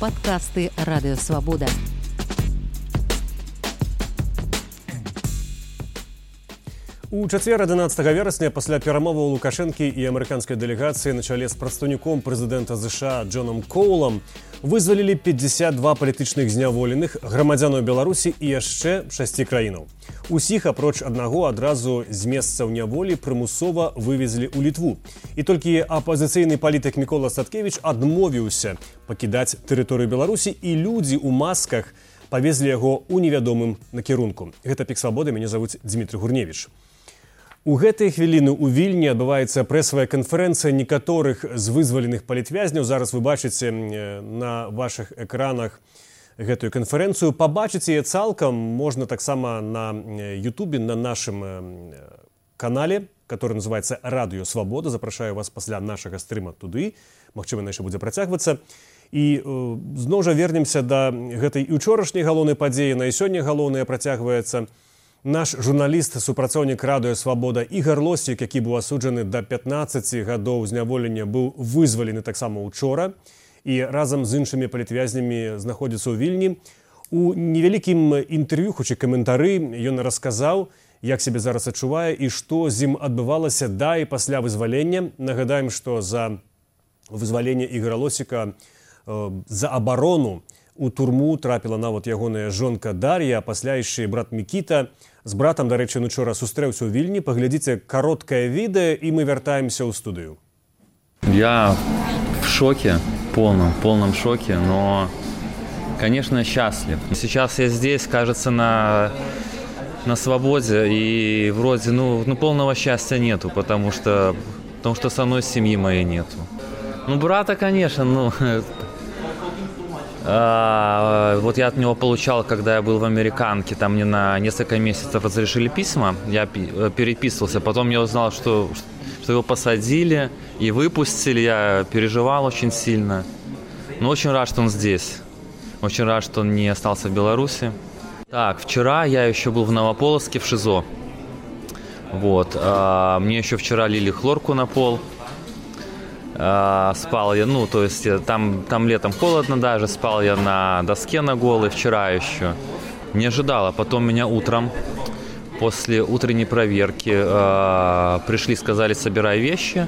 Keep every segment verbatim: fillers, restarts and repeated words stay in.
Падкасты Радыё Свабода. У чацвер адзінаццатага верасня пасля перамоваў Лукашэнкі і амерыканскай дэлегацыі на чале з прадстаўніком прэзідэнта ЗША Джонам Коулам вызвалілі пятьдесят два палітычных зняволеных, грамадзянаў Беларусі і яшчэ шасці краінаў. Усіх, апроч аднаго, адразу з месцаў няволі прымусова вывезлі ў Літву. І толькі апазіцыйны палітык Мікола Садкевіч адмовіўся пакідаць тэрыторыю Беларусі, і людзі ў масках павезлі яго ў невядомым накірунку. Гэта Пік Свабоды, мяне завуць Дмітрый Гурневіч. У гэтыя хвіліны ў Вільні адбываецца прэсавая канферэнцыя некаторых з вызваленых палітвязняў. Зараз вы бачыце на вашых экранах гэтую канферэнцыю. Пабачыць яе цалкам можна таксама на Ютубе, на нашым канале, который называется «Радыё Свабода». Запрашаю вас пасля нашага стрыма туды. Магчыма, яшчэ будзе працягвацца. І зноў жа вернемся да гэтай і ўчорашняй галоўнай падзеі. На і сёння галоўная працягваецца. Наш журналіст, супрацоўнік Радыё Свабода Ігар Лосік, які быў асуджаны да пятнаццаці гадоў зняволення, быў вызвалены таксама учора і разам з іншымі палітвязнямі знаходзіцца ў Вільні. У невялікім інтэрв'ю, хоць і каментары, ён расказаў, як сябе зараз адчувае і што з ім адбывалася да і пасля вызвалення. Нагадаем, што за вызваленне Ігара Лосіка, за абарону у турму трапіла нават ягоная жонка Дар'я, а пасля яшчэ брат Мікіта. З братам, дарэчы, учора сустрэўся ў Вільні. Паглядзіце кароткае відэо, і мы вяртаемся ў студыю. Я в шоке, полном, полном шоке, но, конечно, счастлив. Сейчас я здесь, кажется, на, на свободе, и вроде, ну, ну, полного счастья нету, потому что, потому что со мной семьи моей нету. Ну, брата, конечно, ну... А, вот я от него получал, когда я был в Американке, там мне на несколько месяцев разрешили письма, я переписывался, потом я узнал, что, что его посадили и выпустили, я переживал очень сильно, но очень рад, что он здесь, очень рад, что он не остался в Беларуси. Так, вчера я еще был в Новополоцке в ШИЗО, вот, а, мне еще вчера лили хлорку на пол. Uh, спал я, ну, то есть там, там летом холодно даже, спал я на доске на голой вчера еще. Не ожидала. Потом меня утром, после утренней проверки, uh, пришли, сказали, собирай вещи.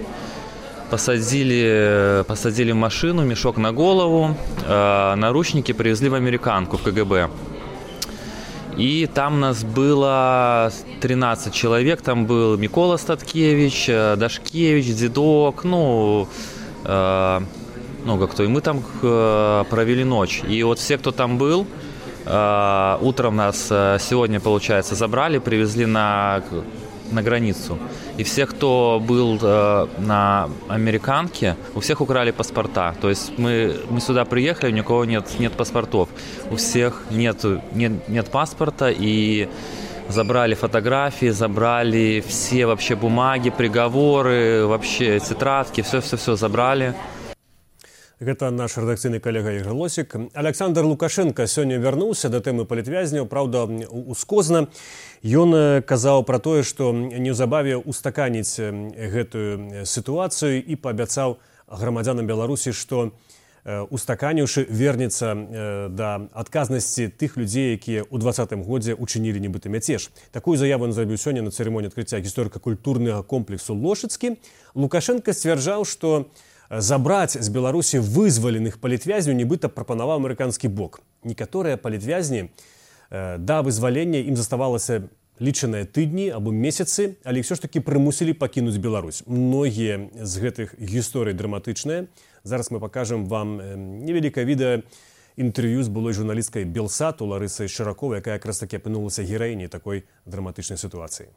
Посадили, посадили в машину, мешок на голову, uh, наручники привезли в Американку, в КГБ. И там нас было тринадцать человек, там был Микола Статкевич, Дашкевич, Дедок, ну, э, много кто. И мы там э, провели ночь. И вот все, кто там был, э, утром нас э, сегодня, получается, забрали, привезли на, на границу. И все, кто был э, на Американке, у всех украли паспорта. То есть мы, мы сюда приехали, у никого нет, нет паспортов. У всех нет, нет, нет паспорта, и забрали фотографии, забрали все вообще бумаги, приговоры, вообще тетрадки, все-все-все забрали. Гэта наш рэдакцыйны калега Ігар Лосік. Александр Лукашенко сёння вярнуўся да тэмы палітвязняў, праўда, ускозна. Ён казаў пра тое, што неўзабаве устаканіць гэтую сітуацыю і паабяцаў грамадзянам Беларусі, што устаканіўшы вернецца да адказнасці тых людзей, якія ў дваццатым годзе учынілі нібыта мяцеж. Такую заяву ён зрабіў сёння на цырымоніі адкрыцця гісторыка-культурнага комплексу Лошыцкі. Лукашенко сцвярджаў, што забраць з Беларусі вызваленых палітвязняў нібыта прапанаваў амерыканскі бок. Некаторыя палітвязні да вызвалення ім заставалася лічаныя тыдні або месяцы, але ўсё ж такі прымусілі пакінуць Беларусь. Многія з гэтых гісторый драматычныя. Зараз мы пакажам вам невялікае відэа інтэрв'ю з былой журналісткай Белсату Ларысай Шыраковай, якая якраз такі апынулася гераіняй такой драматычнай сітуацыі.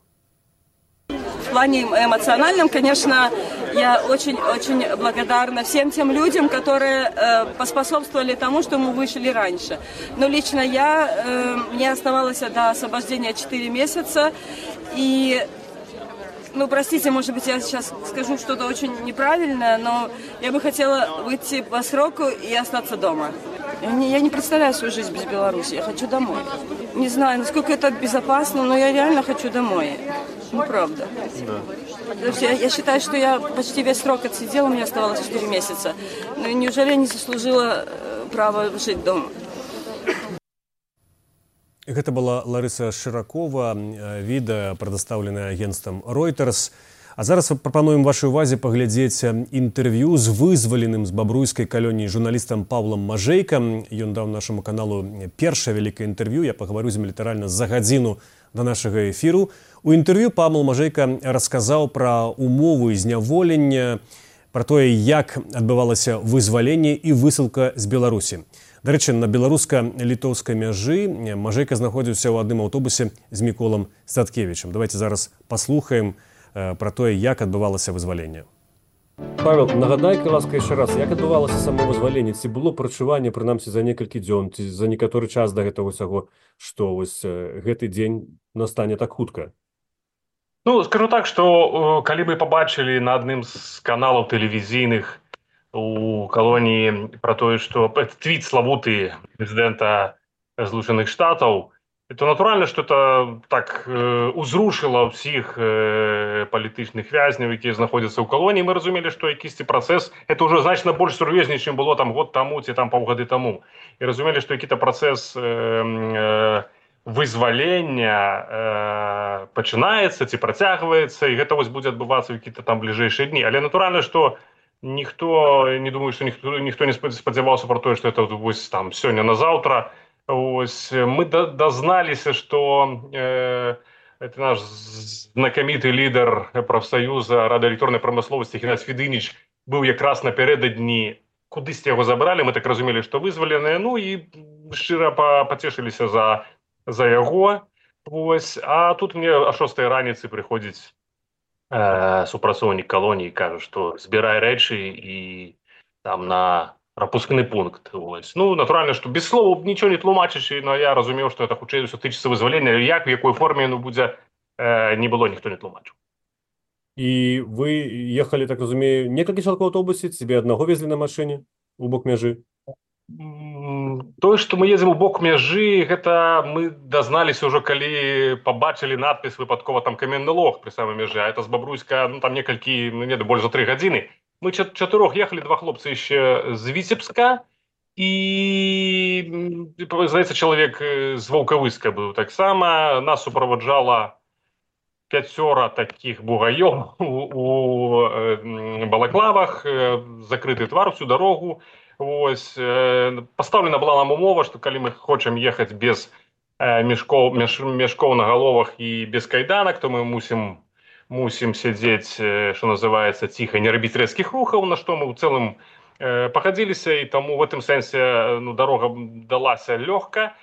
В плане эмоциональном, конечно, я очень-очень благодарна всем тем людям, которые э, поспособствовали тому, что мы вышли раньше. Но лично я, э, мне оставалось до освобождения четыре месяца, и, ну, простите, может быть, я сейчас скажу что-то очень неправильное, но я бы хотела выйти по сроку и остаться дома. Я не, я не представляю свою жизнь без Беларуси, я хочу домой. Не знаю, насколько это безопасно, но я реально хочу домой. Ну, правда. Да. Я, я считаю, что я почти весь срок отсидела, мне оставалось четыре месяца. Но неужели я не заслужила право жить дома. Гэта была Ларыса Шыракова, відэа, прадастаўленае агенцтвам Reuters. А зараз прапануем вашай увазе паглядзець інтэрв'ю з вызваленым з бабруйскай калоніі журналістам Паўлам Мажэйкам. Ён даў нашаму каналу першае вялікае інтэрв'ю. Я пагаварю з ім літаральна за гадзіну да нашага эфіру. У інтэрв'ю Паўл Мажэйка расказаў пра умовы зняволення, пра тое, як адбывалася вызваленне і высылка з Беларусі. Да рэчы, на беларуска-літоўскай мяжы Мажэйка знаходзіўся ў адным аўтобусе з Міколам Статкевічам. Давайте зараз паслухаем про тое, як адбывалася вызваленне. Павел, нагадай, ласка, яшчэ раз, як адбывалася само вызваленне? Ці было прачуванне, прынамсі, за некалькі дзён, ці за некаторы час да гэтага ўсяго, што вось гэты дзень настане так хутка? Ну, скажу так, што калі мы пабачылі на адным з каналаў тэлевізійных у калоніі пра тое, што твіт славуты прэзідэнта Злучаных Штатаў, то натуральна, што это так э, узрушыла ўсіх э, палітычных вязняў, якія знаходзяцца ў калоніі. Мы разумелі, што якісьці працэс, это ўжо значна больш сур'ёзней, чым было там год таму ці там паўгады таму. І разумелі, што які-то працэс э, э, вызвалення э, пачынаецца ці працягваецца, і гэта вось будзе адбывацца ў які-то там бліжэйшыя дні. Але натуральна, што ніхто, не думаю, што ніхто, ніхто не спадзяваўся пра тое, што это вось там сёння на заўтра. Ось, мы дозналіся, што э, это наш знакаміты лідар прафсаюза радыёэлектроннай прамысловасці Геннадзь Федыніч быў якраз напярэдадні, кудысьці яго забралі, мы так разумелі, што вызваленыя, ну і шчыра пацешыліся за, за яго. Ось, а тут мне о шостай раніцы прыходзіць э, супрацоўнік калоніі, кажа, што збірай рэчы і там на пропускны пункт. Ось. Ну, натуральна, што без слова нічого не тлумачачы, но я разумеў, што это хутчэй усё тычыцца вызвалення, як, в якой форме яно будзе, э, не было, ніхто не тлумачыў. І вы ехалі, так разумею, некалькі чалавек у аўтобусе, цябе аднаго везлі на машыне у бок мяжы? Тое, што мы едзем у бок мяжы, гэта мы дазналіся ўжо, калі пабачылі надпіс выпадкова там каменны лог пры самай мяжы, а это з Бабруйска, ну там некалькі, ну не, больш за тры гадзіны. Мы чатырох ехалі, два хлопцы яшчэ з Віцебска, і, здаецца, чалавек з Ваўкавыска быў таксама. Нас суправаджала пяцёра такіх бугаёў у, у балаклавах, закрыты твар всю дарогу. Ось, пастаўлена была нам умова, што калі мы хочам ехаць без мяшкоў, мяш, мяшкоў на галовах і без кайданак, то мы мусім мусім сядзець, што называецца, ціха, не рабіць рэзкіх рухаў, на што мы ў цэлым э, пахадзіліся, і таму в гэтым сэнсе ну, дарога далася лёгка.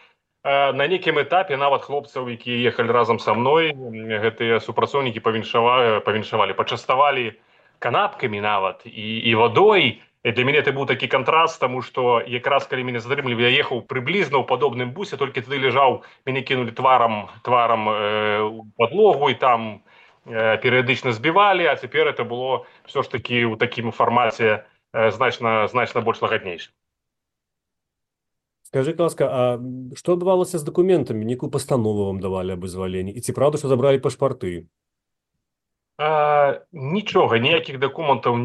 Э, на нейкім этапе нават хлопцаў, якія ехалі разам са мной, гэтыя супрацоўнікі павіншавалі, павіншавалі, пачаставалі канапкамі нават і, і вадой. І для мяне это быў такі кантраст, таму што якраз калі мяне затрымлівалі, я ехаў прыблізна ў падобным бусе, толькі тады ляжаў, мяне кінулі тварам, тварам э, у падлогу, і там перыядычна збівалі, а цяпер это было все ж таки ў такім фармаце значна, значна больш лагаднейшым. Скажи, ласка, а што адбывалася з дакументамі? Некую пастанову вам давалі аб вызваленні? І ці правда, што забралі пашпарты? А, нічога, ніякіх дакументаў,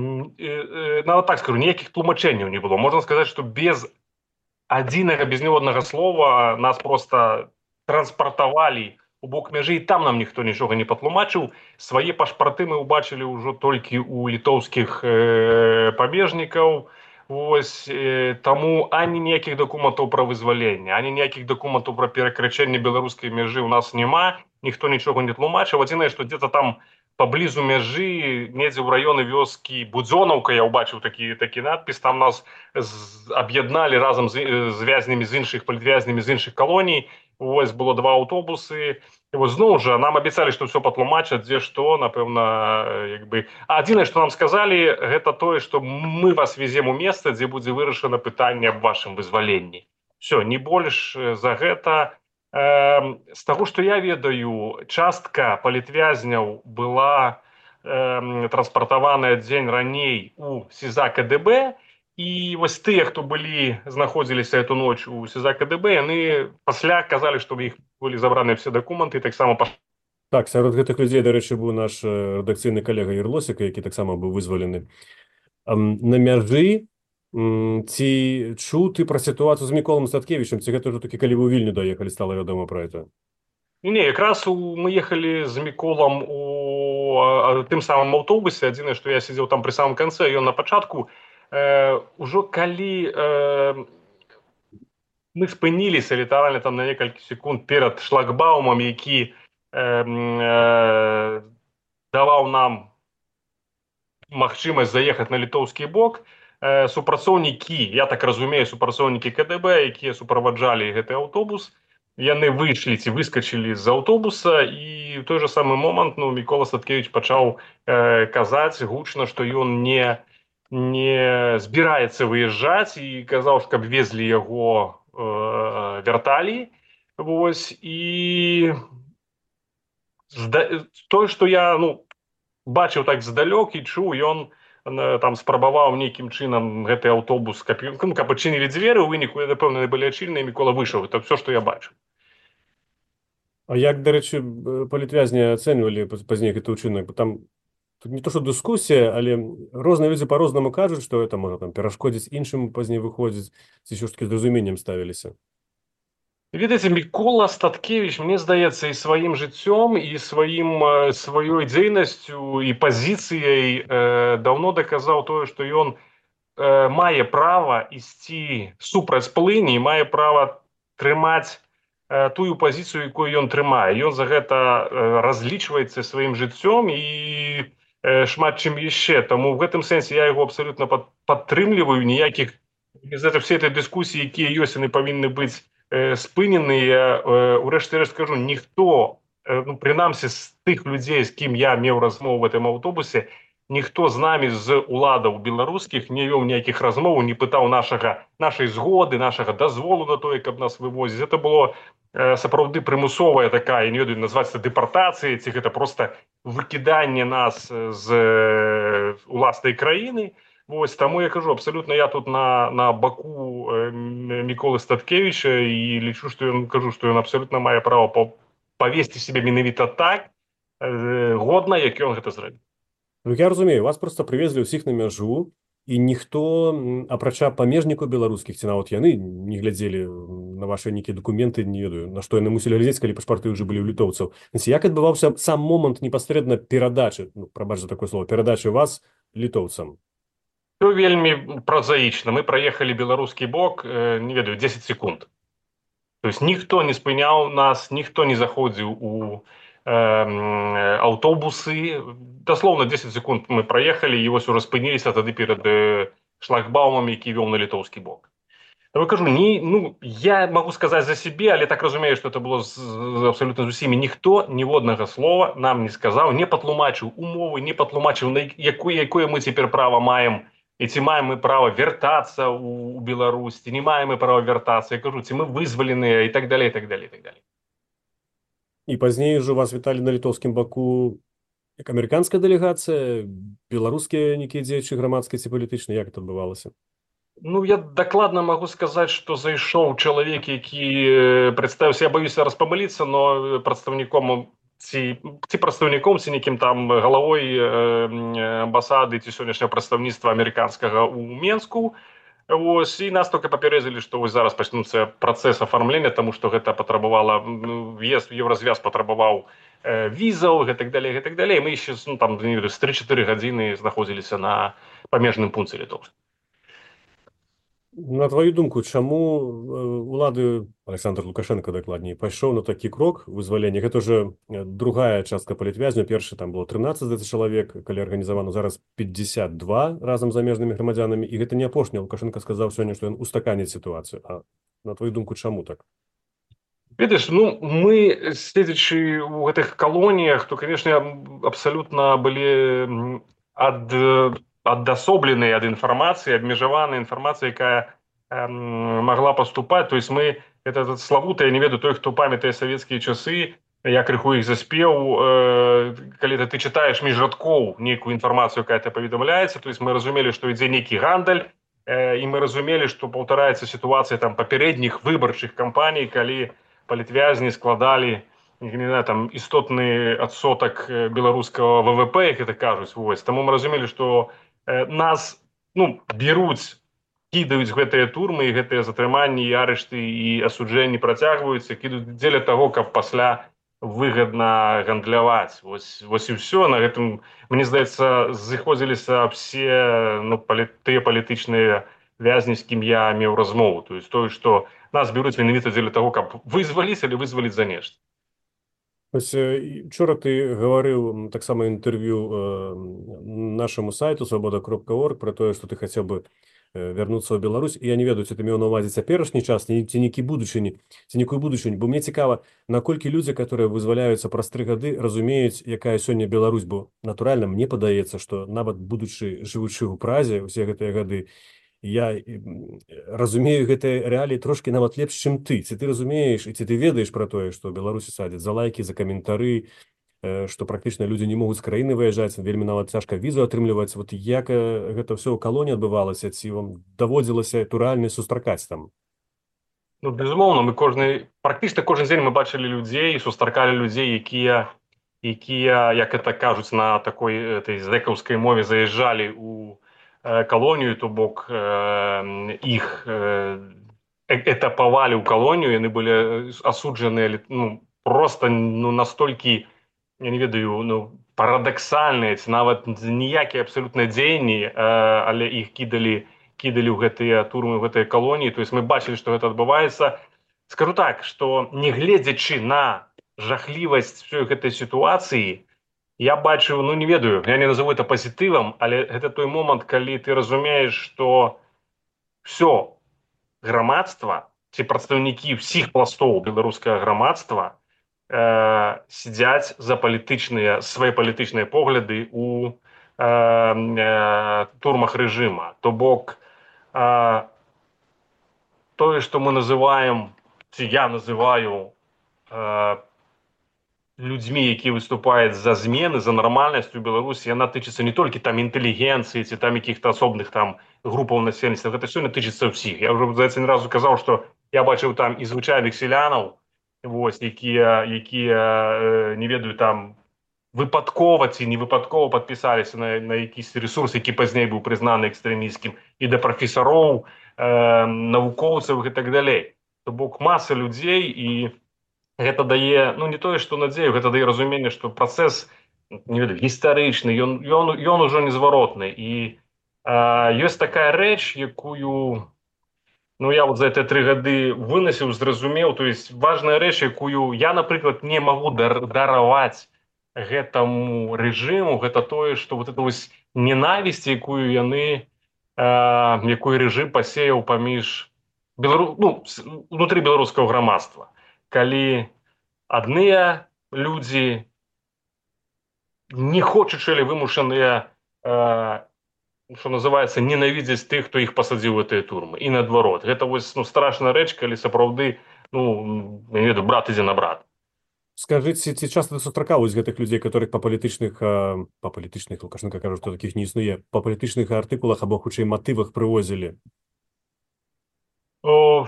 нават так скажу, ніякіх тлумачэнняў не было. Можна сказаць, што без адзінага, без ніводнага слова нас проста транспартавалі у бок мяжы, і там нам ніхто нічога не патлумачыў. Свае пашпарты мы ўбачылі ўжо толькі ў літоўскіх э, пабежнікаў. Вось, э, таму ані ніякіх дакументаў пра вызваленне, ані ніякіх дакументаў пра перакрачэнне беларускай мяжы ў нас няма, ніхто нічога не тлумачыў. Адзінае, што дзе-то там паблізу мяжы, недзе ў раёны вёскі Будзёнаўка, я ўбачыў такі, такі надпіс, там нас аб'ядналі разам з, з вязнямі з іншых, палітвязнямі з іншых калоній. Вось было два аўтобусы. І вось зноў жа нам абяцалі, што ўсё патлумачаць, дзе што, напэўна, як бы. А адзінае, што нам сказалі, гэта тое, што мы вас везем у месца, дзе будзе вырашана пытанне аб вашым вызваленні. Всё, не больш за гэта. Э, з таго, што я ведаю, частка палітвязняў была э, транспартаваная дзень раней у СІЗА КДБ, і вось тыя, хто былі, знаходзіліся эту ноч у СІЗА КДБ, яны пасля казалі, што ў іх былі забраныя все дакументы, і таксама паш... Так, сярод гэтых людзей, дарэчы, быў наш рэдакцыйны калега Ірлосік, які таксама быў вызвалены. На мяжы Ці чуў ты пра сітуацыю з Міколам Статкевічам, ці гэта ўжо такі, калі вы ў Вільню даехалі, стала вядома пра гэта? Не, якраз у, мы ехалі з Міколам у а, тым самым аўтобусе. Адзінае, што я сидзеў там пры самым канцы, ён на пачатку. Э, ужо калі э, мы спыніліся літаральна там на некалькі секунд перад шлагбаумам, які э, э, даваў нам магчымасць заехаць на літоўскі бок, э, супрацоўнікі, я так разумею, супрацоўнікі КДБ, якія суправаджалі гэты аўтобус, яны выйшлі ці выскачылі з аўтобуса, і ў той жа самы момант ну, Мікола Статкевіч пачаў э, казаць гучна, што ён не, не збіраецца выязджаць, і казаў, каб везлі яго э, вярталі. Вось, і тое, што я ну, бачыў так здалёк і чуў, ён там спрабаваў нейкім чынам гэты аўтобус, каб, каб адчынілі дзверы, у выніку, напэўна, былі адчыненыя, Мікола выйшаў. Это все, што я бачыў. А як, дарэчы, палітвязні ацэньвалі пазней гэты ўчынак? Там тут не то, што дыскусія, але розныя людзі па-рознаму кажуць, што это можа там перашкодзіць іншым пазней выходзіць, ці ўсё ж такі з разуменнем ставіліся? Ведаеце, Мікола Статкевіч, мне здаецца, і сваім жыццём, і сваім, сваёй дзейнасцю, і пазіцыяй э, даўно даказаў тое, што ён э, мае права ісці супраць плыні, мае права трымаць э, тую пазіцыю, якую ён трымае. Ён за гэта э, разлічваецца сваім жыццём і э, шмат чым яшчэ. Таму в гэтым сэнсе я яго абсалютна пад, падтрымліваю. Ніякіх без этого всей этой дыскусіі, якія ёсць, яны павінны быць спыненыя. Урэшце рэшт скажу, ніхто, ну, прынамсі з тых людзей, з кім я меў размову в этом аўтобусе, ніхто з намі з уладаў беларускіх не вёў ніякіх размоў, не пытаў нашага, нашай згоды, нашага дазволу на тое, каб нас вывозіць. Это было э, сапраўды прымусовая такая, я не ведаю, назваць это дэпартацыяй, ці гэта проста выкіданне нас з э, уласнай краіны. Вось, таму я кажу, абсалютна я тут на, на баку э, Міколы Статкевіча, і лічу, што ён, кажу, што ён абсалютна мае права павесці сябе менавіта так э, годна, як ён гэта зрабіў. Ну, я разумею, вас проста прывезлі ўсіх на мяжу, і ніхто, апрача памежнікаў беларускіх, ці нават яны не глядзелі на вашы нейкія дакументы, не ведаю, на што яны мусілі глядзець, калі пашпарты ўжо былі ў літоўцаў. Як адбываўся сам момант непасрэдна перадачы, ну, прабач за такое слово, перадачы вас літоўцам? Все вельмі празаічна. Мы праехалі беларускі бок, э, не ведаю, дзесяць секунд. То есть ніхто не спыняў нас, ніхто не заходзіў у э, аўтобусы. Даслоўна дзесяць секунд мы праехалі, і вось ужо спыніліся тады перад э, шлагбаумам, які вёў на літоўскі бок. Я кажу, не, ну, я могу сказаць за сябе, але так разумею, што это было з, з, абсолютно з усімі. Ніхто ніводнага слова нам не сказаў, не патлумачыў умовы, не патлумачыў, на якое, якое мы цяпер права маем, і ці маем мы права вяртацца ў Беларусь, ці не маем мы права вяртацца. Я кажу, ці мы вызваленыя, і так далей, і так далей, і так далей. І пазней ўжо вас віталі на літоўскім баку як амерыканская дэлегацыя, беларускія нейкія дзеячы грамадскія ці палітычныя, як это адбывалася? Ну, я дакладна магу сказаць, што зайшоў чалавек, які прадставіўся, я баюся раз памыліцца, но прадстаўніком ці, ці прадстаўніком, ці нейкім там галавой амбасады ці сённяшняга прадстаўніцтва амерыканскага ў Менску. Вось, і нас толькі папярэдзілі, што вось зараз пачнуцца працэс афармлення, таму што гэта патрабавала, в'езд, еўразвяз патрабаваў э, візаў, гэтак далей, гэтак далей. Мы яшчэ, ну, там, не ведаю, з тры-чатыры гадзіны знаходзіліся на памежным пункце літоўскім. На твою думку, чаму улады, Александр Лукашенко дакладней, пайшоў на такі крок вызвалення? Гэта ўжо другая частка палітвязняў. Першы там было трынаццаць чалавек, калі арганізавана, зараз пятьдесят два разам з замежнымі грамадзянамі. І гэта не апошні. Лукашенко сказаў сёння, што ён устаканіць сітуацыю. А на твою думку, чаму так? Ведаеш, ну, мы, седзячы ў гэтых калоніях, то, конечно, абсалютна былі ад... адасобленыя ад інфармацыі, абмежаваная інфармацыя, якая э, магла паступаць. То есть мы, это, это славута, я не ведаю, той, хто памятае савецкія часы, я крыху іх заспеў, э, калі ты чытаеш між радкоў нейкую інфармацыю, якая ты паведамляецца, то есть мы разумелі, што ідзе нейкі гандаль, э, і мы разумелі, што паўтараецца сітуацыя там папярэдніх выбарчых кампаній, калі палітвязні складалі, не знаю, там істотны адсотак беларускага ВВП, як это кажуць. Вось. Таму мы разумелі, што нас, ну, беруць кідаюць гэтыя турмы і гэтыя затрыманні і арышты і асуджэнні працягваюцца, кідаюць дзеля таго, каб пасля выгадна гандляваць. Вось, вось і ўсё. На гэтым, мне здаецца, зыходзіліся ўсе ну, палі, тыя палітычныя вязні, з кім я меў размову. То есть тое, што нас бяруць менавіта дзеля таго, каб вызваліць алі вызваліць за нешта. Ось вчора ти говорив так само інтерв'ю е, нашому сайту свобода крапка орг про те, що ти хотів би е, вернутися в Білорусь. І я не ведаю, чи ти мав на увазі теперішній час, ні, ці нікі будучині, ці нікої будучині. Бо мені цікаво, наколькі люди, які визволяються праз три годи, розуміють, яка сьогодні Білорусь, бо натурально мені подається, що навіть будучи, живучи у Празі усі ці годи, я разумею гэтыя рэаліі трошки нават лепш, чым ты. Ці ты разумееш і ці ты ведаеш пра тое, што Беларусі садзяць за лайкі, за каментары, што практычна людзі не могуць з краіны выязджаць, вельмі нават цяжка візу атрымліваць. Вот як гэта ўсё ў калоніі адбывалася, ці вам даводзілася туральна сустракаць там? Ну, безумоўна, мы кожны, практычна кожны дзень мы бачылі людзей, сустракалі людзей, якія, якія, як это кажуць на такой этой зэкаўскай мове, заязджалі у калонію, то бок э, іх э, этапавалі ў калонію, яны былі асуджаныя ну, просто ну, настолькі, я не ведаю, ну, парадаксальныя, ці нават ніякія абсалютна дзеянні, э, але іх кідалі, кідалі ў гэтыя турмы, ў гэтыя калоніі. То есть мы бачылі, што гэта адбываецца. Скажу так, што не гледзячы на жахлівасць всёй гэтай сітуацыі, я бачу, ну не ведаю, я не назову это пазітывам, але гэта той момант, калі ты разумееш, што все грамадства, ці прадстаўнікі ўсіх пластоў беларускага грамадства э, сядзяць за палітычныя, свае палітычныя погляды у э, э, турмах рэжыма. То бок, э, тое, што мы называем, ці я называю э, людзьмі, якія выступаюць за змены, за нармальнасць у Беларусі, яна тычыцца не толькі там інтэлігенцыі ці там якіх-то асобных там групаў насельніцтва, гэта сёння тычыцца ўсіх. Я ўжо, здаецца, не разу казаў, што я бачыў там і звычайных селянаў, вось, якія, якія э, не ведаю, там выпадкова ці не выпадкова падпісаліся на, на якісь рэсурс, які пазней быў прызнаны экстрэмісцкім, і да прафесароў, э, навукоўцаў і так далей. То бок маса людзей, і гэта дае, ну не тое, што надзею, гэта дае разуменне, што працэс, не ведаю, гістарычны, ён, ён, ён ужо незваротны. І э, ёсць такая рэч, якую, ну я вот за гэтыя тры гады вынасіў, зразумеў, то есть важная рэч, якую я, напрыклад, не магу дар, дараваць гэтаму рэжыму, гэта тое, што вот это вось ненавісць, якую яны, э, якую рэжым пасеяў паміж белару... ну, внутры беларускага грамадства. Калі адныя людзі, не хочучы, але вымушаныя, э, што называецца, ненавідзець тых, хто іх пасадзіў у гэтыя турмы. І наадварот. Гэта вось ну, страшная рэч, калі сапраўды, ну, я не ведаю, брат ідзе на брат. Скажыце, ці часта сустракаюць гэтых людзей, которых па палітычных, па палітычных, Лукашенко кажа, што такіх не існуе, па палітычных артыкулах або хутчэй матывах прывозілі? О,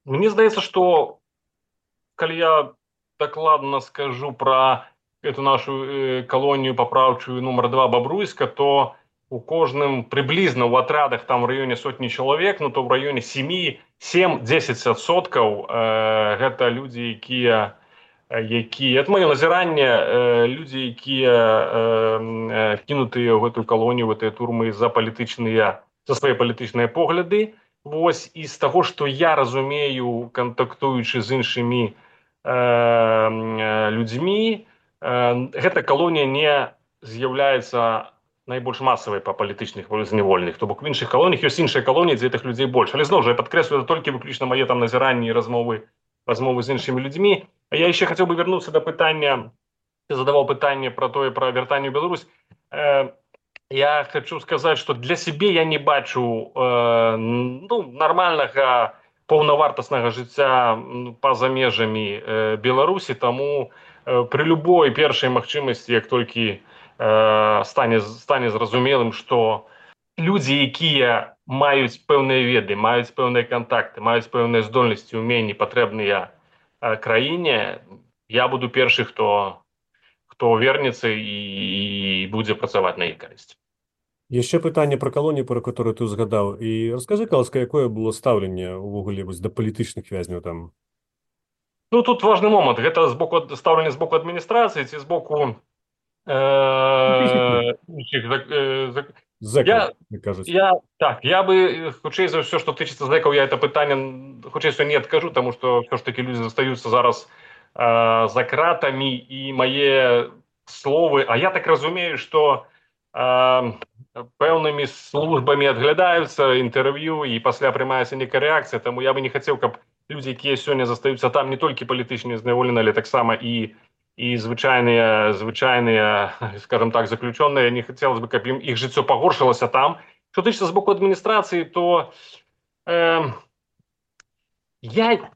мне здаецца, што калі я дакладна скажу пра эту нашу э, калонію папраўчую нумар два Бабруйска, то у кожным прыблізна ў атрядах там в раёне сотні чалавек, ну то в раёне сем-дзесяць адсоткаў э, гэта людзі, якія якія, это маё назіранне, э, людзі, якія э, кінутыя ў гэтую калонію, ў гэтыя турмы за палітычныя, за свае палітычныя погляды. Вось, і з таго, што я разумею, кантактуючы з іншымі людзьмі, гэта калонія не з'яўляецца найбольш масавай па палітычных зняволеных. То бок в іншых калоніях ёсць іншыя калоніі, дзе гэтых людзей больш. Але зноў жа, я падкрэслю, это толькі выключна мае там назіранні і размовы, размовы з іншымі людзьмі. А я яшчэ хацеў бы вярнуцца да пытання, ты задаваў пытанне пра тое, пра вяртанне ў Беларусь. Я хочу сказаць, што для сябе я не бачу ну, нармальнага паўнавартаснага жыцця па-за межамі э, Беларусі, таму э, пры любой першай магчымасці, як толькі э, стане, стане зразумелым, што людзі, якія маюць пэўныя веды, маюць пэўныя кантакты, маюць пэўныя здольнасці, уменні, патрэбныя э, краіне, я буду першы, хто, хто вернецца і, і будзе працаваць на іх карысць. Яшчэ пытанне пра калоніі, пра которую ты згадаў. І раскажы, каласка, якое было стаўленне ўвогуле вось да палітычных вязняў там? Ну, тут важны момант. Гэта з боку стаўленне з боку адміністрацыі ці з боку э, іншых зак- э, зак- Зэкаў, я, як кажуць. я, так, я бы, э, хутчэй за ўсё, што тычыцца зэкаў, я это пытанне, м, хутчэй за ўсё не адкажу, таму што ўсё ж такі людзі застаюцца зараз э, за кратамі, і мае словы, а я так разумею, што э, пэўнымі службамі адглядаюцца інтэрв'ю, і пасля прымаецца нейкая рэакцыя, таму я бы не хацеў, каб людзі, якія сёння застаюцца там, не толькі палітычныя зняволеныя, але таксама і і звычайныя звычайныя, скажем так, заключёныя, не хацелось бы, каб ім іх жыццё пагоршылася там. Што тычыцца з боку адміністрацыі, то э, я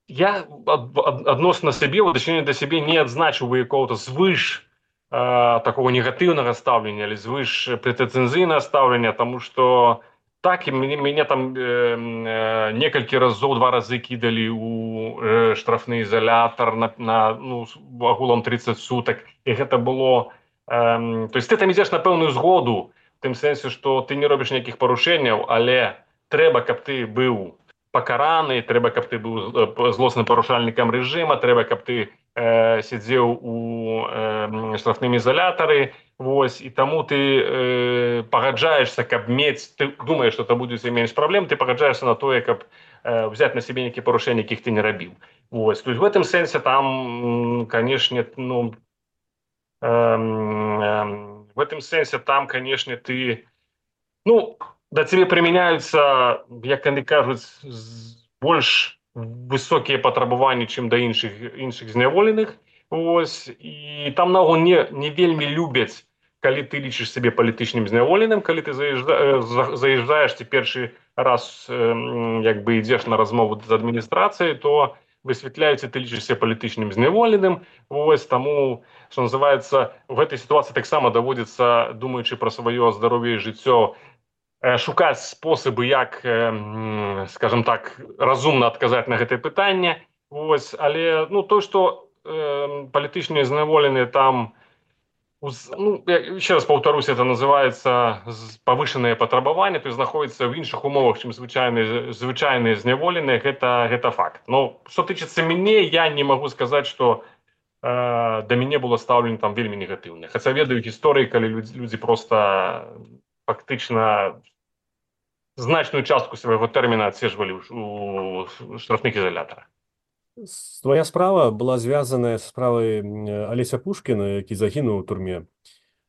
я ад, ад, адносна сябе, у дачыненні да сябе не адзначыў бы якога-то звыш э, такого негатыўнага стаўлення, але звыш прэтэнзійнага стаўлення, таму што так, і мяне, мяне там э, э, некалькі разоў, два разы кідалі ў э, штрафны ізалятар на, на ну, агулам тридцать сутак, і гэта было э, то есть ты там ідзеш на пэўную згоду, в тым сэнсе, што ты не робіш ніякіх парушэнняў, але трэба, каб ты быў пакараны, трэба, каб ты быў злосным парушальнікам рэжыма, трэба, каб ты э, сядзеў у э, штрафным ізалятары, вось, і таму ты э, пагаджаешся, каб мець, ты думаеш, што это будзе менш праблем, ты пагаджаешся на тое, каб э, взять на сябе нейкія парушэнні, якіх ты не рабіў. Вось, то есть в этом сэнсе там, канешне, ну, э, э, в этом сэнсе там, канешне, ты, ну, да цябе прымяняюцца, як яны кажуць, больш высокія патрабаванні, чым да іншых іншых зняволеных. Ось, і там наогул не, не вельмі любяць, калі ты лічыш сябе палітычным зняволеным, калі ты заязджа, заязджаеш ці першы раз як бы ідзеш на размову з адміністрацыяй, то высвятляюць, ты лічышся палітычным зняволеным. Ось, таму, што называецца, в гэтай сітуацыі таксама даводзіцца, думаючы пра сваё здароўе і жыццё, шукаць спосабы, як, скажем так, разумна адказаць на гэтае пытанне. Ось, але ну, то, што э, палітычныя зняволеныя там, ну, еще раз паўтарусь, это называется павышаныя патрабаванні, то есть знаходзіцца ў іншых умовах, чым звычайныя звычайныя зняволеныя, гэта, гэта факт. Но што тычыцца мяне, я не магу сказаць, што э, да мяне было стаўлена там вельмі негатыўна. Хаця ведаю гісторыі, калі людзі, людзі проста фактычна значную частку свайго тэрміна адседжвалі у штрафных ізалятарах. Твоя справа была звязаная з справай Алеся Пушкіна, які загінуў у турме,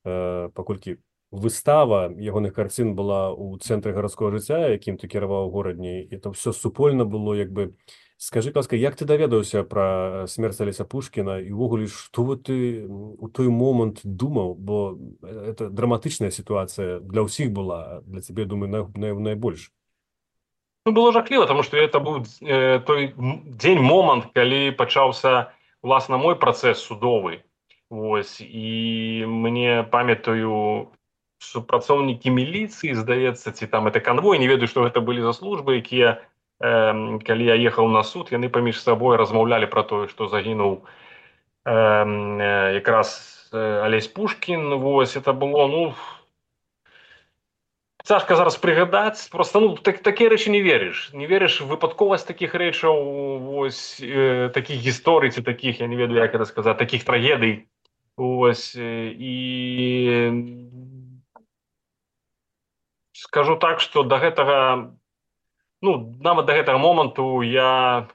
э, паколькі выстава ягоных карцін была ў цэнтры гарадскога жыцця, якім ты кіраваў у горадні, і это ўсё супольна было, як бы. Скажы, ласка, як ты даведаўся пра смерць Алеся Пушкіна і ўвогуле, што ты у той момант думаў, бо это драматычная сітуацыя для ўсіх была, для цябе, думаю, на, на, найбольш. Ну, было жахліва, тому што это быў э, той дзень, момант, калі пачаўся, власна, мой працэс судовы. Вось, і мне, памятаю, супрацоўнікі міліцыі, здаецца, ці там это канвой, не ведаю, што гэта былі за службы, якія, э, калі я ехаў на суд, яны паміж сабой размаўлялі пра тое, што загінуў э, э, якраз э, Алесь Пушкін. Вось, это было, ну, цяжка зараз прыгадаць, просто, ну, так, такія рэчы не верыш. Не верыш в выпадковасць такіх рэчаў, вось, э, такіх гісторый, ці такіх, я не ведаю, як это сказаць, такіх трагедый. Вось, і скажу так, што да гэтага, ну, нават да гэтага моманту я,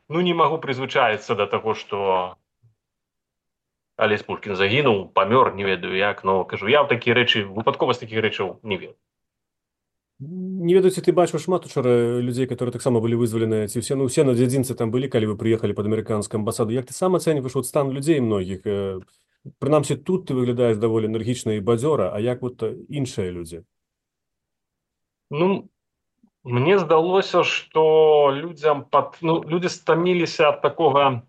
ну, не магу прызвычаіцца да таго, што Алесь Пушкін загінуў, памёр, не ведаю як, но, кажу, я ў такія рэчы, выпадковасць такіх рэчаў не веру. Не ведаю, ці ты бачыў шмат учора людзей, которые таксама былі вызваленыя, ці ўсе, ну, усе на дзядзінцы там былі, калі вы прыехалі пад амерыканскую амбасаду. Як ты сам ацэньваеш вот стан людзей многіх? Прынамсі, тут ты выглядаеш даволі энергічна і бадзёра, а як вот іншыя людзі? Ну, мне здалося, што людзям пад, ну, людзі стаміліся ад такога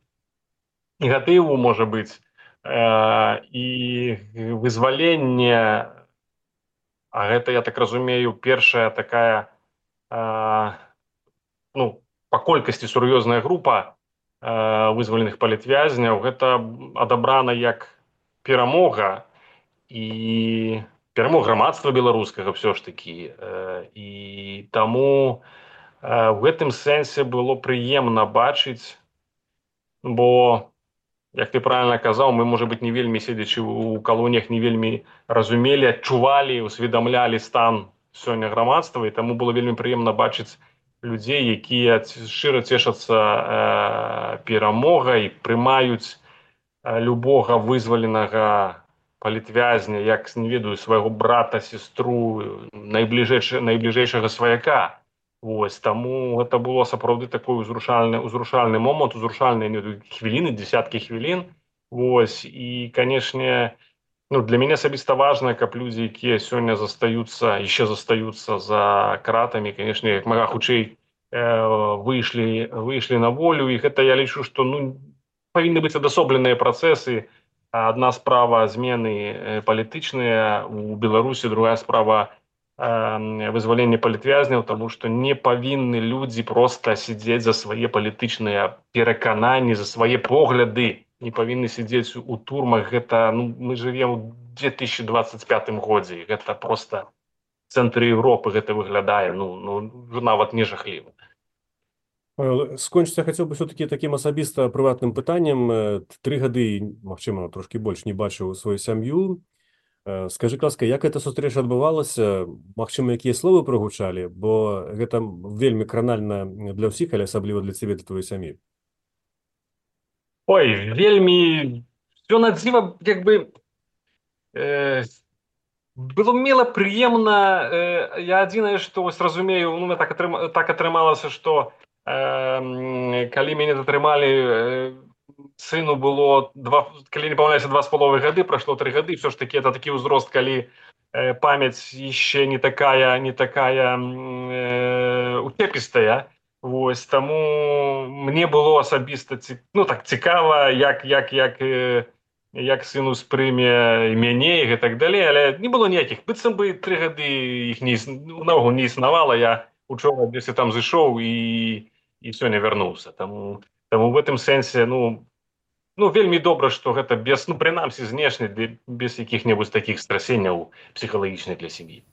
негатыву, можа быць, э, і вызвалення. А гэта, я так разумею, першая такая, э, ну, па колькасці сур'ёзная група э, вызваленых палітвязняў. Гэта адабрана як перамога, і перамог грамадства беларускага все ж таки. І таму в гэтым сэнсе было прыемна бачыць, бо, як ты правильно казаў, мы, можа быць, не вельмі, седзячы ў калоніях, не вельмі разумелі, адчувалі, усведамлялі стан сёння грамадства, і таму было вельмі прыемна бачыць людзей, якія шчыра цешацца э, перамогай, прымаюць э, любога вызваленага палітвязня, як, не ведаю, свайго брата, сестру, найбліжэйшага сваяка. Вось, таму гэта было сапраўды такой узрушальны, узрушальны момант, узрушальныя хвіліны, десяткі хвілін. Вось, і, канешне, ну, для мяне асабіста важна, каб людзі, якія сёння застаюцца, яшчэ застаюцца за кратамі, канешне, як мага хутчэй э, выйшлі, выйшлі на волю, і гэта я лічу, што ну, павінны быць адасобленыя працэсы. Адна справа змены палітычныя у Беларусі, другая справа вызвалення палітвязняў, тому што не павінны людзі проста сидзець за свае палітычныя перакананні, за свае погляды, не павінны сидзець у турмах. Гэта, ну, мы живем у две тысячи двадцать пятым годзе, гэта просто в цэнтры Европы гэта выглядае, ну, ну нават не жахліва. Скончыць я хацеў бы все-таки таким асабіста прыватным пытаннем. Тры гады, магчыма, трошки больш не бачыў сваю сям'ю. Скажы, ласка, як эта сустрэча адбывалася? Магчыма, якія словы прагучалі? Бо гэта вельмі кранальна для ўсіх, але асабліва для цябе, для твоей сям'і. Ой, вельмі все надзіва, як бы э, было мила, прыемна. Э, я адзінае, што вось разумею, ну, так, атрым, так атрымалася, што э, калі мяне затрымалі, э, сыну было, два, калі не памыляюся, два з паловай гады, прайшло тры гады, все ж таки это такі ўзрост, калі э, памяць яшчэ не такая, не такая э, уцепістая. Вось, таму мне было асабіста, ну, так цікава, як, як, як, э, як сын успрыме мяне і так далей, але не было ніякіх, быццам бы тры гады іх не, наогул не існавала. Я учора десь там зайшоў і, і сёння вярнуўся. Таму Таму в гэтым сэнсе, ну, ну, вельмі добра, што гэта без, ну, прынамсі, знешне, без якіх-небудзь такіх страсенняў псіхалагічных для сям'і.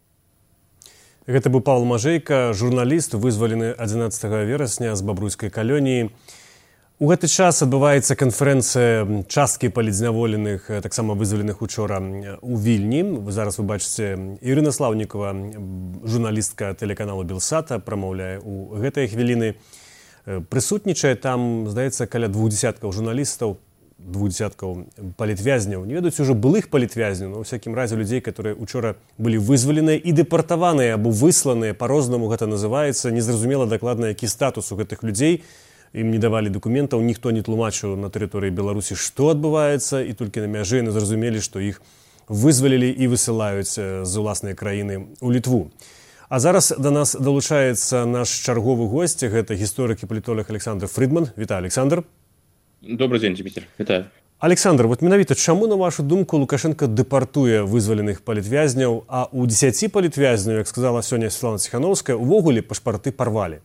Гэта быў Павел Мажэйка, журналіст, вызвалены адзінаццатага верасня з бабруйскай калоніі. У гэты час адбываецца канферэнцыя часткі палітзняволеных, таксама вызваленых учора у Вільні. Зараз вы бачыце, Ірына Слаўнікова, журналістка тэлеканалу Белсата, прамаўляе у гэтыя хвіліны. Прысутнічае там, здаецца, каля двух дзесяткаў журналістаў, двух дзесяткаў палітвязняў. Не ведаюць ужо былых палітвязняў, но ў всякім разе людзей, которые учора былі вызваленыя і дэпартаваныя або высланыя, па-рознаму гэта называецца. Незразумела дакладна, які статус у гэтых людзей. Ім не давалі дакументаў, ніхто не тлумачыў на тэрыторыі Беларусі, што адбываецца, і толькі на мяжы яны зразумелі, што іх вызвалілі і высылаюць з уласнай краіны ў Літву. А зараз до нас долучаецца наш чарговы госць, гэта гісторык і палітолог Александр Фридман. Вітаю, Александр. Добрый дзень, Дмітрий. Вітаю. Александр, вот менавіта чаму, на вашу думку, Лукашенко дэпартуе вызваленых палітвязняў, а у дзесяці палітвязняў, як сказала сёння Светлана Ціхановская, увогуле пашпарты парвалі?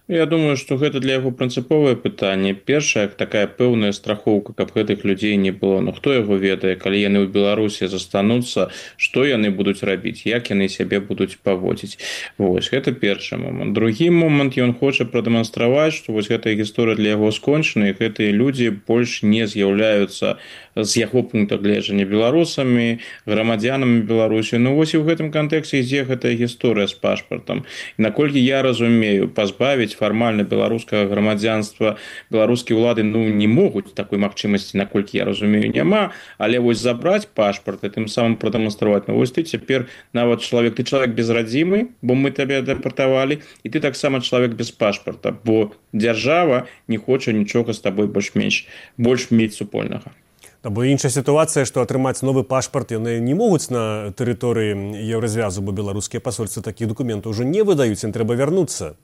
Я думаю, што гэта для яго прынцыповае пытанне. Першая такая пэўная страхоўка, каб гэтых людзей не было. Ну хто яго ведае, калі яны ў Беларусі застануцца, што яны будуць рабіць, як яны сябе будуць паводзіць. Вось, гэта першы момант. Другі момант, ён хоча прадэманстраваць, што вось гэтая гісторыя для яго скончана, і гэтыя людзі больш не з'яўляюцца з яго пункта гледжання беларусамі, грамадзянамі Беларусі. Ну вось і ў гэтым кантэксце ідзе гэтая гісторыя з пашпартам. І наколькі я разумею, пазбавіць фармальна беларускага грамадзянства беларускія ўлады, ну, не могуць, такой магчымасці, наколькі я разумею, няма, але вось забраць пашпарт і тым самым прадэманстраваць, ну вось ты цяпер нават чалавек, ты чалавек без радзімы, бо мы табе дэпартавалі, і ты таксама чалавек без пашпарта, бо дзяржава не хоча нічога з табой больш-менш больш мець супольнага. Бо іншая сітуацыя, што атрымаць новы пашпарт яны не могуць на тэрыторыі Еўразвязу, бо беларускія пасольствы такіх дакументаў ўжо не выдаюць, ім трэба вярнуцца.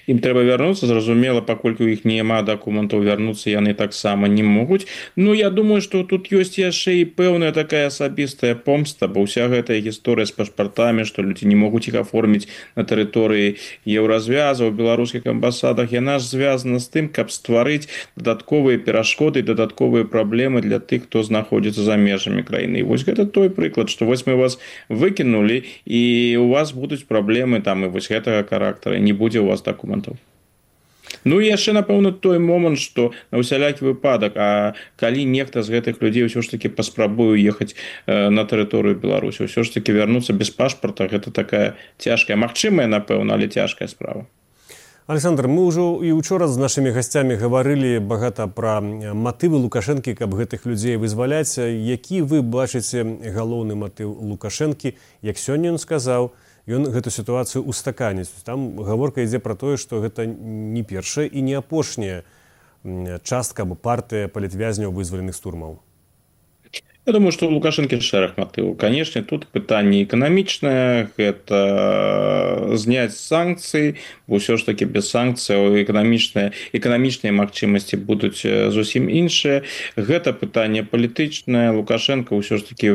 Ім трэба вярнуцца, зразумела, паколькі ў іх няма дакументаў, вярнуцца яны таксама не могуць. Ну, я думаю, што тут ёсць яшчэ і пэўная такая асабістая помста, бо ўся гэтая гісторыя з пашпартамі, што людзі не могуць іх аформіць на тэрыторыі еўразвяза, у беларускіх амбасадах, яна ж звязана з тым, каб стварыць дадатковыя перашкоды, дадатковыя праблемы для тых, хто знаходзіцца за межамі краіны. І вось гэта той прыклад, што вось мы вас выкінулі, і у вас будуць праблемы там і вось гэтага характара, не будзе у вас дакументаў. Ну і яшчэ, напэўна, той момант, што на ўсялякі выпадак, а калі нехта з гэтых людзей ўсё ж такі паспрабуе ехаць на тэрыторыю Беларусі, ўсё ж такі вярнуцца без пашпарта, гэта такая цяжкая, магчымая, напэўна, але цяжкая справа. Александр, мы ўжо і учора з нашымі гасцямі гаварылі багата пра матывы Лукашэнкі, каб гэтых людзей вызваляць. Які вы бачыце галоўны матыў Лукашэнкі, як сёння ён сказаў, ён гэту сітуацыю устаканіць. Там гаворка ідзе пра тое, што гэта не першая і не апошняя частка або партыя палітвязняў вызваленых з турмаў. Я думаю, што у Лукашэнкі шэраг матываў. Канешне, тут пытанне эканамічнае, гэта зняць санкцыі, бо ўсё ж такі без санкцыяў эканамічныя, эканамічныя магчымасці будуць зусім іншыя. Гэта пытанне палітычнае. Лукашенко ўсё ж такі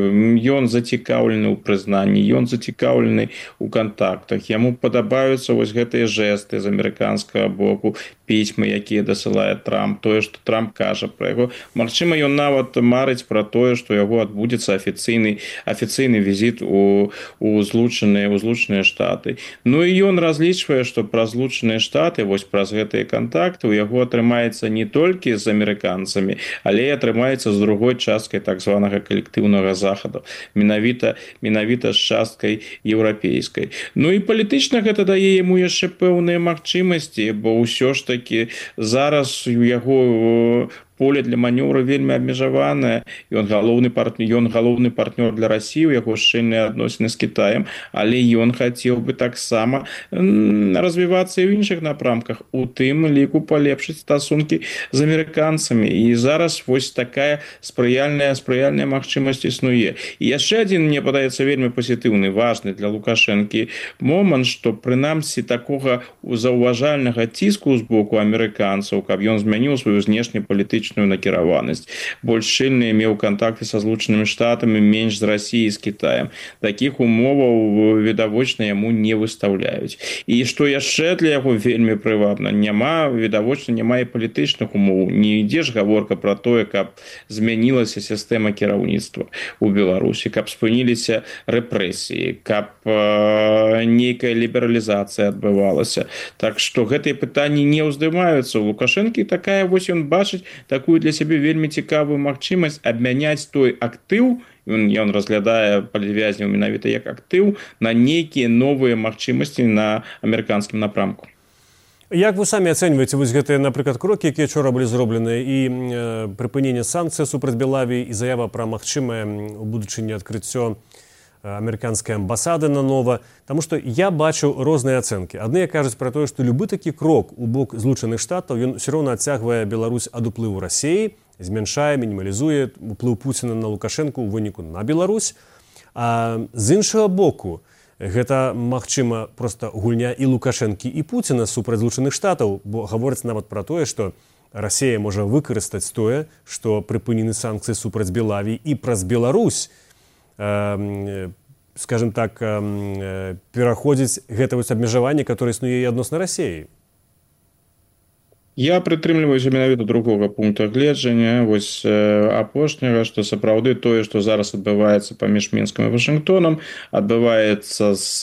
ён зацікаўлены ў прызнанні, ён зацікаўлены ў кантактах. Яму падабаюцца вось гэтыя жэсты з амерыканскага боку, пісьмы, якія дасылае Трамп, тое, што Трамп кажа пра яго. Магчыма, ён нават марыць пра тое, што яго адбудзецца афіцыйны афіцыйны візіт у, у злучаныя у злучаныя штаты. Ну і ён разлічвае, што праз злучаныя штаты, вось праз гэтыя кантакты у яго атрымаецца не толькі з амерыканцамі, але і атрымаецца з другой часткай так званага калектыўнага захаду, менавіта менавіта з часткай еўрапейскай. Ну і палітычна гэта дае яму яшчэ пэўныя магчымасці, бо ўсё ж такі зараз у яго поле для манёвра вельмі абмежаванае, ён галоўны партнёр, ён галоўны партнёр для Расіі, у яго шчыльныя адносіны з Кітаем, але ён хацеў бы таксама развівацца і ў іншых напрамках, у тым ліку палепшыць стасункі з амерыканцамі. І зараз вось такая спрыяльная спрыяльная магчымасць існуе. І яшчэ адзін, мне падаецца, вельмі пазітыўны, важны для Лукашэнкі момант, што прынамсі такога заўважальнага ціску з боку амерыканцаў, каб ён змяніў сваю знешнепалітычную накіраванасць. Больш шчыльныя меў кантакты са злучанымі штатамі, менш з Расіяй, з Кітаем. Такіх умоваў відавочна яму не выстаўляюць. І што яшчэ для яго вельмі прывабна, няма, відавочна, няма і палітычных умоў. Не ідзе ж гаворка пра тое, каб змянілася сістэма кіраўніцтва ў Беларусі, каб спыніліся рэпрэсіі, каб э, нейкая лібералізацыя адбывалася. Так што гэтыя пытанні не ўздымаюцца. У Лукашэнкі такая вось ён бачыць такую для сябе вельмі цікавую магчымасць абмяняць той актыў, ён, ён разглядае палітвязняў менавіта як актыў, на нейкія новыя магчымасці на амерыканскім напрамку. Як вы самі ацэньваеце вось гэтыя, напрыклад, крокі, якія учора былі зроблены, і э, прыпыненне санкцый супраць Белавіі, і заява пра магчымае у будучыні адкрыццё амерыканскай амбасады нанова, таму што я бачу розныя ацэнкі. Адныя кажуць пра тое, што любы такі крок у бок злучаных штатаў, ён ўсё роўна адцягвае Беларусь ад уплыву Расіі, змяншае, мінімалізуе уплыў Пуціна на Лукашэнку ў выніку на Беларусь. А з іншага боку, гэта, магчыма, проста гульня і Лукашэнкі, і Пуціна супраць злучаных штатаў, бо гаворыць нават пра тое, што Расія можа выкарыстаць тое, што прыпынены санкцыі супраць Белавіі і праз Беларусь, скажем так, пераходзіць гэта вось абмежаванне, которое існуе і адносна Расіі. Я прытрымліваюся менавіта другога пункта гледжання, вось апошняга, што сапраўды тое, што зараз адбываецца паміж Мінскам і Вашынгтонам, адбываецца з,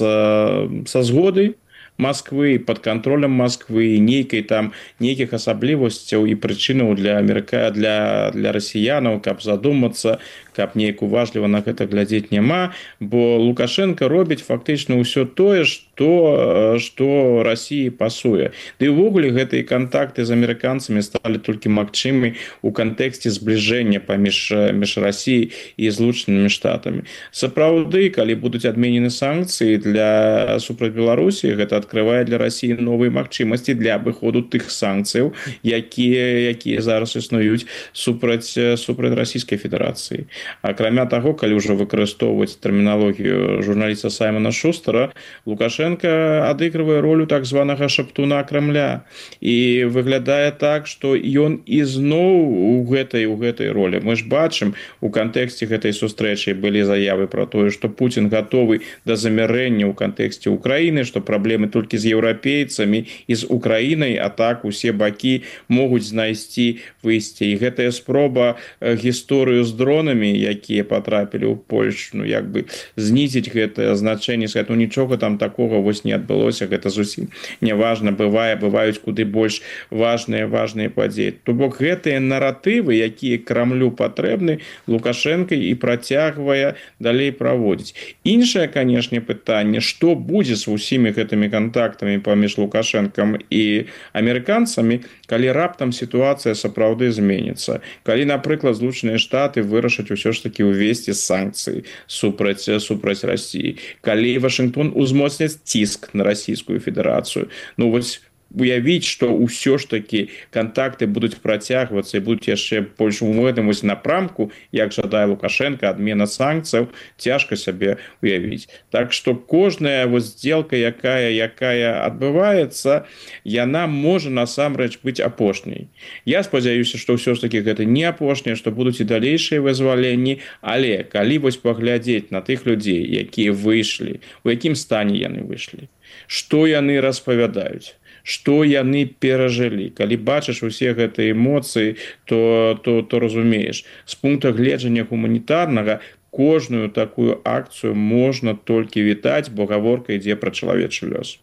са згоды Москвы, пад кантролем Москвы, нейкай там нейкіх асаблівасцяў і прычынаў для Амерыка, для, для расіянаў, каб задумацца, каб неяк уважліва на гэта глядзець няма, бо Лукашенко робіць фактычна ўсё тое, што, што Расіі пасуе. Ды ўвогуле гэтыя кантакты з амерыканцамі сталі толькі магчымы ў кантэксце збліжэння паміж між Расіяй і злучанымі штатамі. Сапраўды, калі будуць адменены санкцыі для супраць Беларусі, гэта адкрывае для Расіі новыя магчымасці для абыходу тых санкцыяў, якія, якія зараз існуюць супраць, супраць Расійскай Федэрацыі. Акрамя таго, калі ўжо выкарыстоўваць тэрміналогію журналіста Саймона Шустера, Лукашенко адыгрывае ролю так званага шаптуна Крамля. І выглядае так, што ён ізноў у гэтай, у гэтай ролі. Мы ж бачым, у кантэксце гэтай сустрэчы былі заявы пра тое, што Пуцін гатовы да замірэння ў кантэксце Украіны, што праблемы толькі з еўрапейцамі і з Украінай, а так усе бакі могуць знайсці выйсце. І гэтая спроба гісторыю з дронамі, якія патрапілі ў Польшу, ну, як бы знізіць гэтае значэнне, сказаць, ну, нічога там такога вось не адбылося, гэта зусім неважна, бывае, бываюць куды больш важныя, важныя падзеі. То бок гэтыя наратывы, якія Крамлю патрэбны, Лукашенко і працягвае далей праводзіць. Іншае, канешне, пытанне, што будзе з усімі гэтымі кантактамі паміж Лукашенкам і амерыканцамі, калі раптам сітуацыя сапраўды зменіцца. Калі, напрыклад, Злучаныя Штаты вырашаць усё ж такі ўвесці санкцыі супраць, супраць Расіі. Калі Вашынгтон узмоцняць ціск на Расійскую Федэрацыю. Ну, вось уявіць, што ўсё ж такі кантакты будуць працягвацца і будуць яшчэ больш у гэтым вось напрамку, як жадае Лукашенко, адмена санкцыяў, цяжка сябе уявіць. Так што кожная вось здзелка, якая, якая адбываецца, яна можа насамрэч быць апошняй. Я спадзяюся, што ўсё ж такі гэта не апошняе, што будуць і далейшыя вызваленні, але калі вось паглядзець на тых людзей, якія выйшлі, у якім стане яны выйшлі, што яны распавядаюць, што яны перажылі. Калі бачыш усе гэтыя эмоцыі, то, то, то разумееш. З пункта гледжання гуманітарнага кожную такую акцыю можна толькі вітаць, бо гаворка ідзе пра чалавечы лёс.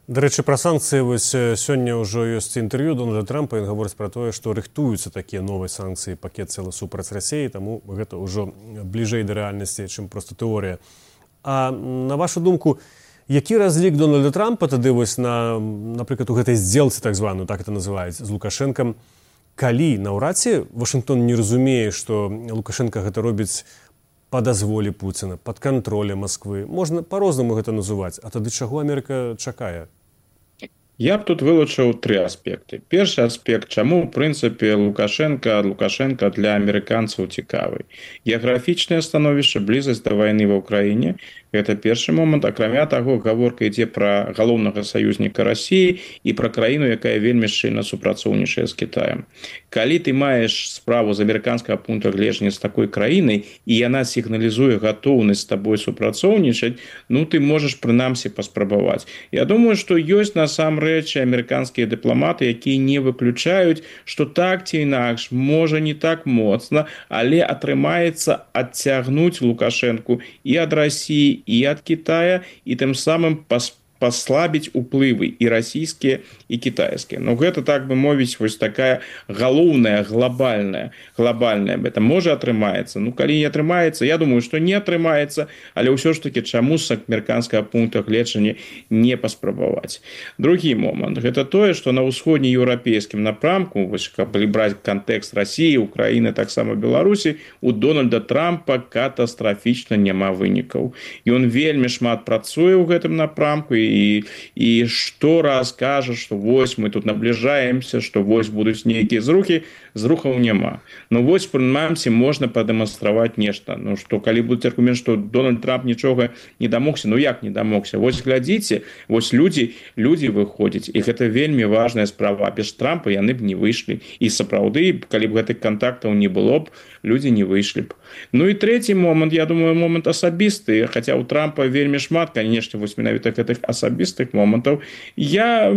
Дарэчы, пра санкцыі вось сёння ўжо ёсць інтэрв'ю Дональда Трампа, ён гаворыць пра тое, што рыхтуюцца такія новыя санкцыі, пакет цэлы супраць Расіі, таму гэта ўжо бліжэй да рэальнасці, чым проста тэорыя. А на вашу думку, які разлік Дональда Трампа тады вось на, напрыклад, у гэтай здзелцы, так званую, так это называюць, з Лукашэнкам, калі наўрад ці Вашынгтон не разумее, што Лукашенко гэта робіць па дазволе Пуціна, пад кантролем Масквы. Можна па-рознаму гэта называць, а тады чаго Амерыка чакае? Я б тут вылучыў тры аспекты. Першы аспект, чаму, ў прынцыпе, Лукашенко, Лукашенко для амерыканцаў цікавы. Геаграфічнае становішча, блізасць да вайны ва ўкраіне, гэта першы момант. Акрамя таго, гаворка ідзе пра галоўнага саюзніка Расіі і пра краіну, якая вельмі шчыльна супрацоўнічае з Кітаем. Калі ты маеш справу з амерыканскага пункта гледжання з такой краінай, і яна сігналізуе гатоўнасць з табой супрацоўнічаць, ну, ты можаш прынамсі паспрабаваць. Я думаю, што ёсць насамрэч амерыканскія дыпламаты, якія не выключаюць, што так ці інакш, можа не так моцна, але атрымаецца адцягнуць Лукашэнку і ад Расіі, і ад Китая, і тым самым паспрабаваць паслабіць уплывы і расійскія, і кітайскія. Ну, гэта, так бы мовіць, вось такая галоўная, глобальная, глобальная. Гэта можа атрымаецца. Ну, калі не атрымаецца, я думаю, што не атрымаецца, але ўсё ж такі чаму з амерыканскага пункта гледжання не паспрабаваць. Другі момант. Гэта тое, што на ўсходнееўрапейскім напрамку, вось, каб браць кантэкст Расіі, Украіны, таксама Беларусі, у Дональда Трампа катастрафічна няма вынікаў. Ён вельмі шмат працуе ў гэтым напрамку, і, і штораз кажа, што вось мы тут набліжаемся, што вось будуць нейкія зрухі, зрухаў няма. Ну вось, прынамсі, можна прадэманстраваць нешта. Ну што, калі будзе аргумент, што Дональд Трамп нічога не дамогся, ну як не дамогся? Вось глядзіце, вось людзі, людзі выходзяць, і гэта вельмі важная справа. Без Трампа яны б не выйшлі. І сапраўды, калі б гэтых кантактаў не было б, людзі не выйшлі б. Ну і трэці момант, я думаю, момант асабісты, хаця ў Трампа вельмі шмат, канешне, вось менавіта гэтых асабістых момантаў. Я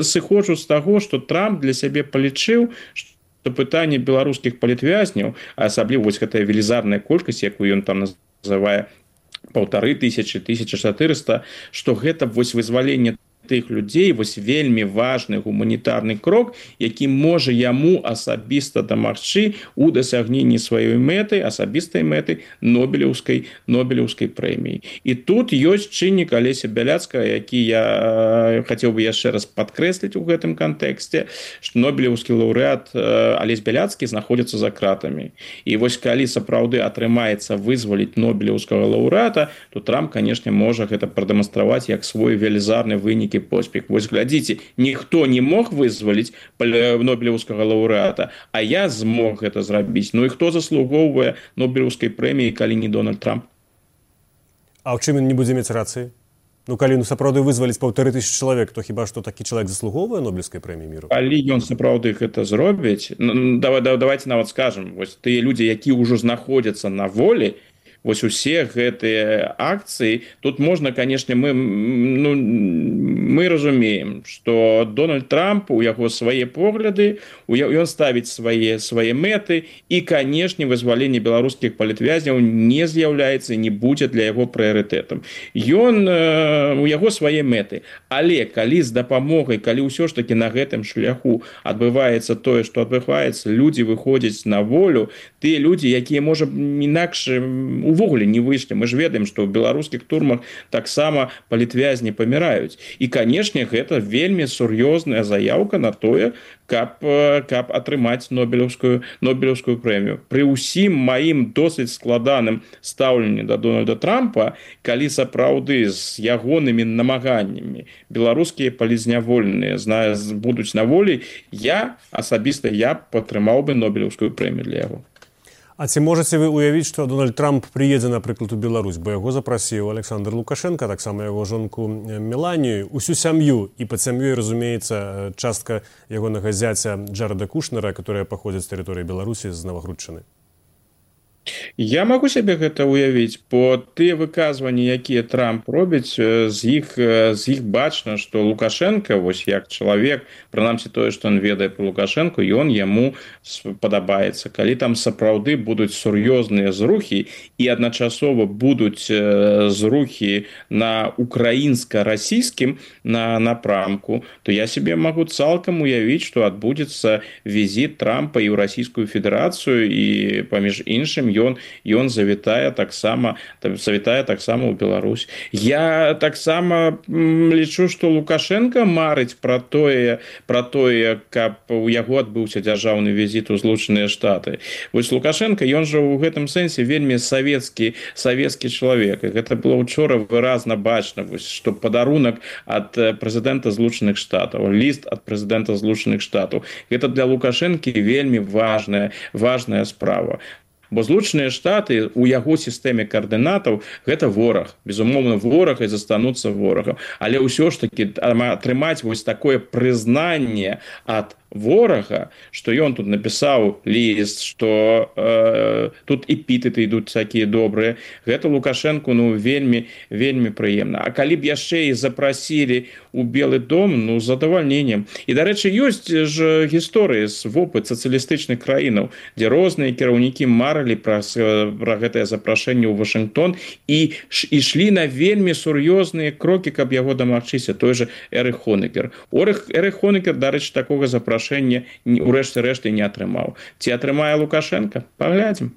сыходжу з таго, што Трамп для сябе палічыў, што пытанне беларускіх палітвязняў, а асабліва вось гэтая велізарная колькасць, якую ён там называе паўтары тысячы, тысяча чатырыста, што гэта вось вызваленне тых людзей, вось вельмі важны гуманітарны крок, які можа яму асабіста дамагчы ў дасягненні сваёй мэты, асабістай мэты Нобелеўскай, Нобелеўскай прэміі. І тут ёсць чыннік Алеся Бяляцкая, які я хацеў бы яшчэ раз падкрэсліць у гэтым кантэксце, што Нобелеўскі лаўрэат Алесь Бяляцкі знаходзіцца за кратамі. І вось калі сапраўды атрымаецца вызваліць Нобелеўскага лаўрэата, то Трамп, канешне, можа гэта прадэманстраваць як свой велізарны вынік вялікі поспех. Вось глядзіце, ніхто не мог вызваліць нобелеўскага лаўрэата, а я змог гэта зрабіць. Ну і хто заслугоўвае нобелеўскай прэміі, калі не Дональд Трамп? А ў чым ён не будзе мець рацыі? Ну, калі ну, сапраўды вызваліць паўтары тысячы чалавек, то хіба што такі чалавек заслугоўвае нобелеўскай прэміі міру? Калі ён сапраўды гэта зробіць, ну, давай, давайте нават скажам, вось тыя людзі, якія ўжо знаходзяцца на волі, вось усе гэтыя акцыі, тут можна, канешне, мы, ну, мы разумеем, што Дональд Трамп, у яго свае погляды, ён ставіць свае, свае мэты, і, канешне, вызваленне беларускіх палітвязняў не з'яўляецца і не будзе для яго прыярытэтам. Ён, у яго свае мэты, але калі з дапамогай, калі ўсё ж такі на гэтым шляху адбываецца тое, што адбываецца, людзі выходзяць на волю, тыя людзі, якія, можа, інакш увогуле не выйшлі. Мы ж ведаем, што ў беларускіх турмах таксама палітвязні паміраюць. І, канешне, гэта вельмі сур'ёзная заяўка на тое, каб, каб атрымаць нобелеўскую, нобелеўскую прэмію. Пры ўсім маім досыць складаным стаўленні да Дональда Трампа, калі сапраўды з ягонымі намаганнямі беларускія палізняволеныя будуць на волі, я, асабіста я, падтрымаў бы нобелеўскую прэмію для яго. А ці можаце вы уявіць, што Дональд Трамп прыедзе, напрыклад, у Беларусь, бо яго запрасіў Александр Лукашенко, таксама яго жонку Меланію, усю сям'ю, і пад сям'ёй, разумеецца, частка ягонага зяця Джареда Кушнера, которая паходзіць з тэрыторыі Беларусі, з Навагрудчыны. Я магу сябе гэта ўявіць, бо тыя выказванні, якія Трамп робіць, з іх, з іх бачна, што Лукашенко, вось як чалавек, прынамсі тое, што ён ведае пра Лукашенко, ён яму падабаецца. Калі там сапраўды будуць сур'ёзныя зрухі і адначасова будуць зрухі на украінска-расійскім на напрамку, то я сябе магу цалкам уявіць, што адбудзецца візіт Трампа і ў Расійскую Федэрацыю, і паміж іншым ён ён завітае таксама завітае таксама ў Беларусь. Я таксама лічу, што Лукашенко марыць пра тое, пра тое, каб у яго адбыўся дзяржаўны візіт у Злучаныя Штаты. Вось Лукашенко, ён жа ў гэтым сэнсе вельмі савецкі савецкі чалавек. І гэта было учора выразна бачна, вось, што падарунак ад прэзідэнта Злучаных Штатаў, ліст ад прэзідэнта Злучаных Штатаў. Гэта для Лукашэнкі вельмі важная, важная справа. Бо Злучаныя Штаты у яго сістэме каардынатаў гэта вораг. Безумоўна, вораг і застануцца ворагам. Але ўсё ж такі атрымаць вось такое прызнанне ад ворага, што ён тут напісаў ліст, што э, тут эпітэты ідуць такія добрыя, гэта Лукашэнку ну вельмі вельмі прыемна. А калі б яшчэ і запрасілі у Белы дом, ну з задавальненнем. І, дарэчы, ёсць ж гісторыі з вопыт сацыялістычных краінаў, дзе розныя кіраўнікі марылі пра, пра гэтае запрашэнне ў Вашынгтон і ішлі на вельмі сур'ёзныя крокі, каб яго дамагчыся. Той же Эрых Хонекер. Эрых Хонекер, дарэчы, такога запрашэння у рэшце рэшты не атрымаў. Ці атрымае Лукашенко? Паглядзім.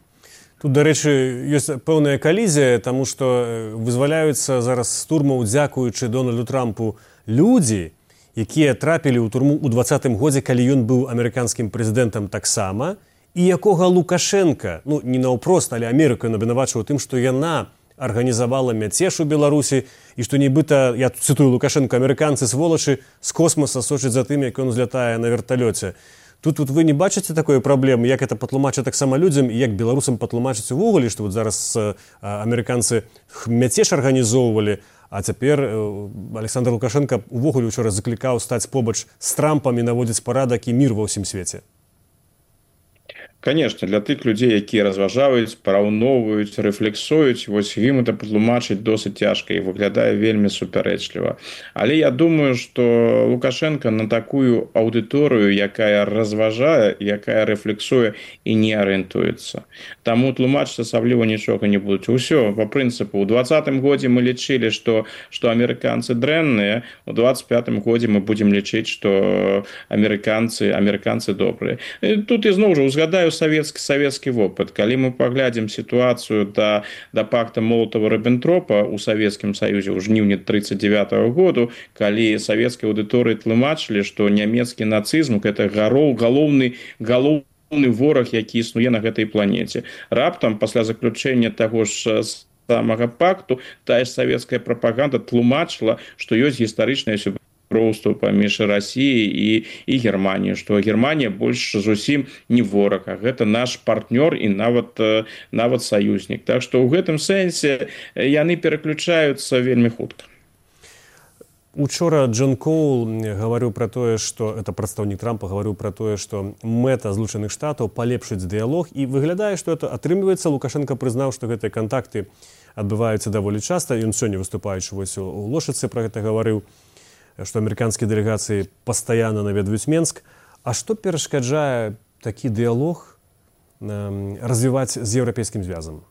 Тут, дарэчы, ёсць пэўная калізія, таму што вызваляюцца зараз з турмаў, дзякуючы Дональду Трампу, людзі, якія трапілі ў турму ў дваццатым годзе, калі ён быў амерыканскім прэзідэнтам таксама, і якога Лукашенко, ну, не наўпрост, але Амерыка абвінавачваў тым, што яна арганізавала мяцеж у Беларусі і што нібыта, я цытую Лукашенко, амерыканцы сволачы з космоса сочаць за тым, як ён узлятае на верталёце. Тут, тут вы не бачыце такой праблемы, як это патлумачыць таксама людзям і як беларусам патлумачыць увогуле, што вот зараз амерыканцы мяцеж арганізоўвалі, а цяпер Александр Лукашенко увогуле учора заклікаў стаць побач з Трампам і наводзіць парадак і мір ва ўсім свеце. Конечно, для тых людзей, якія разважаюць, параўноўваюць, рэфлексуюць, вось ім это патлумачыць досыць цяжка і выглядае вельмі супярэчліва. Але я думаю, што Лукашенко на такую аўдыторыю, якая разважае, якая рэфлексуе і не арыентуецца. Таму тлумачыць асабліва нічога не будуць. Усё, па прынцыпу, у дваццатым годзе мы лічылі, што, што амерыканцы дрэнныя, у дваццаць пятым годзе мы будзем лічыць, што амерыканцы, амерыканцы добрыя. І тут ізноў жа узгадаю савецкі савецкі вопыт. Калі мы паглядзім сітуацыю да, да пакта Молотава-Рыббентропа ў Савецкім Саюзе ў жніўні трыццаць дзевятага году, калі савецкай аўдыторыі тлумачылі, што нямецкі нацызм гэта гароў галоўны галоўны вораг, які існуе на гэтай планеце. Раптам пасля заключэння таго ж самага пакту тая ж савецкая прапаганда тлумачыла, што ёсць гістарычная сяброўства паміж Расіяй і, і Германіяй, што Германія больш зусім не вораг, а гэта наш партнёр і нават, нават саюзнік. Так што ў гэтым сэнсе яны пераключаюцца вельмі хутка. Учора Джон Коул гаварыў пра тое, што это прадстаўнік Трампа гаварыў пра тое, што мэта Злучаных Штатаў палепшыць дыялог, і выглядае, што это атрымліваецца. Лукашенко прызнаў, што гэтыя кантакты адбываюцца даволі часта. Ён сёння, выступаючы вось у Лошыцы, пра гэта гаварыў, што амерыканскія дэлегацыі пастаянна наведваюць Менск. А што перашкаджае такі дыялог развіваць з еўрапейскім звязам?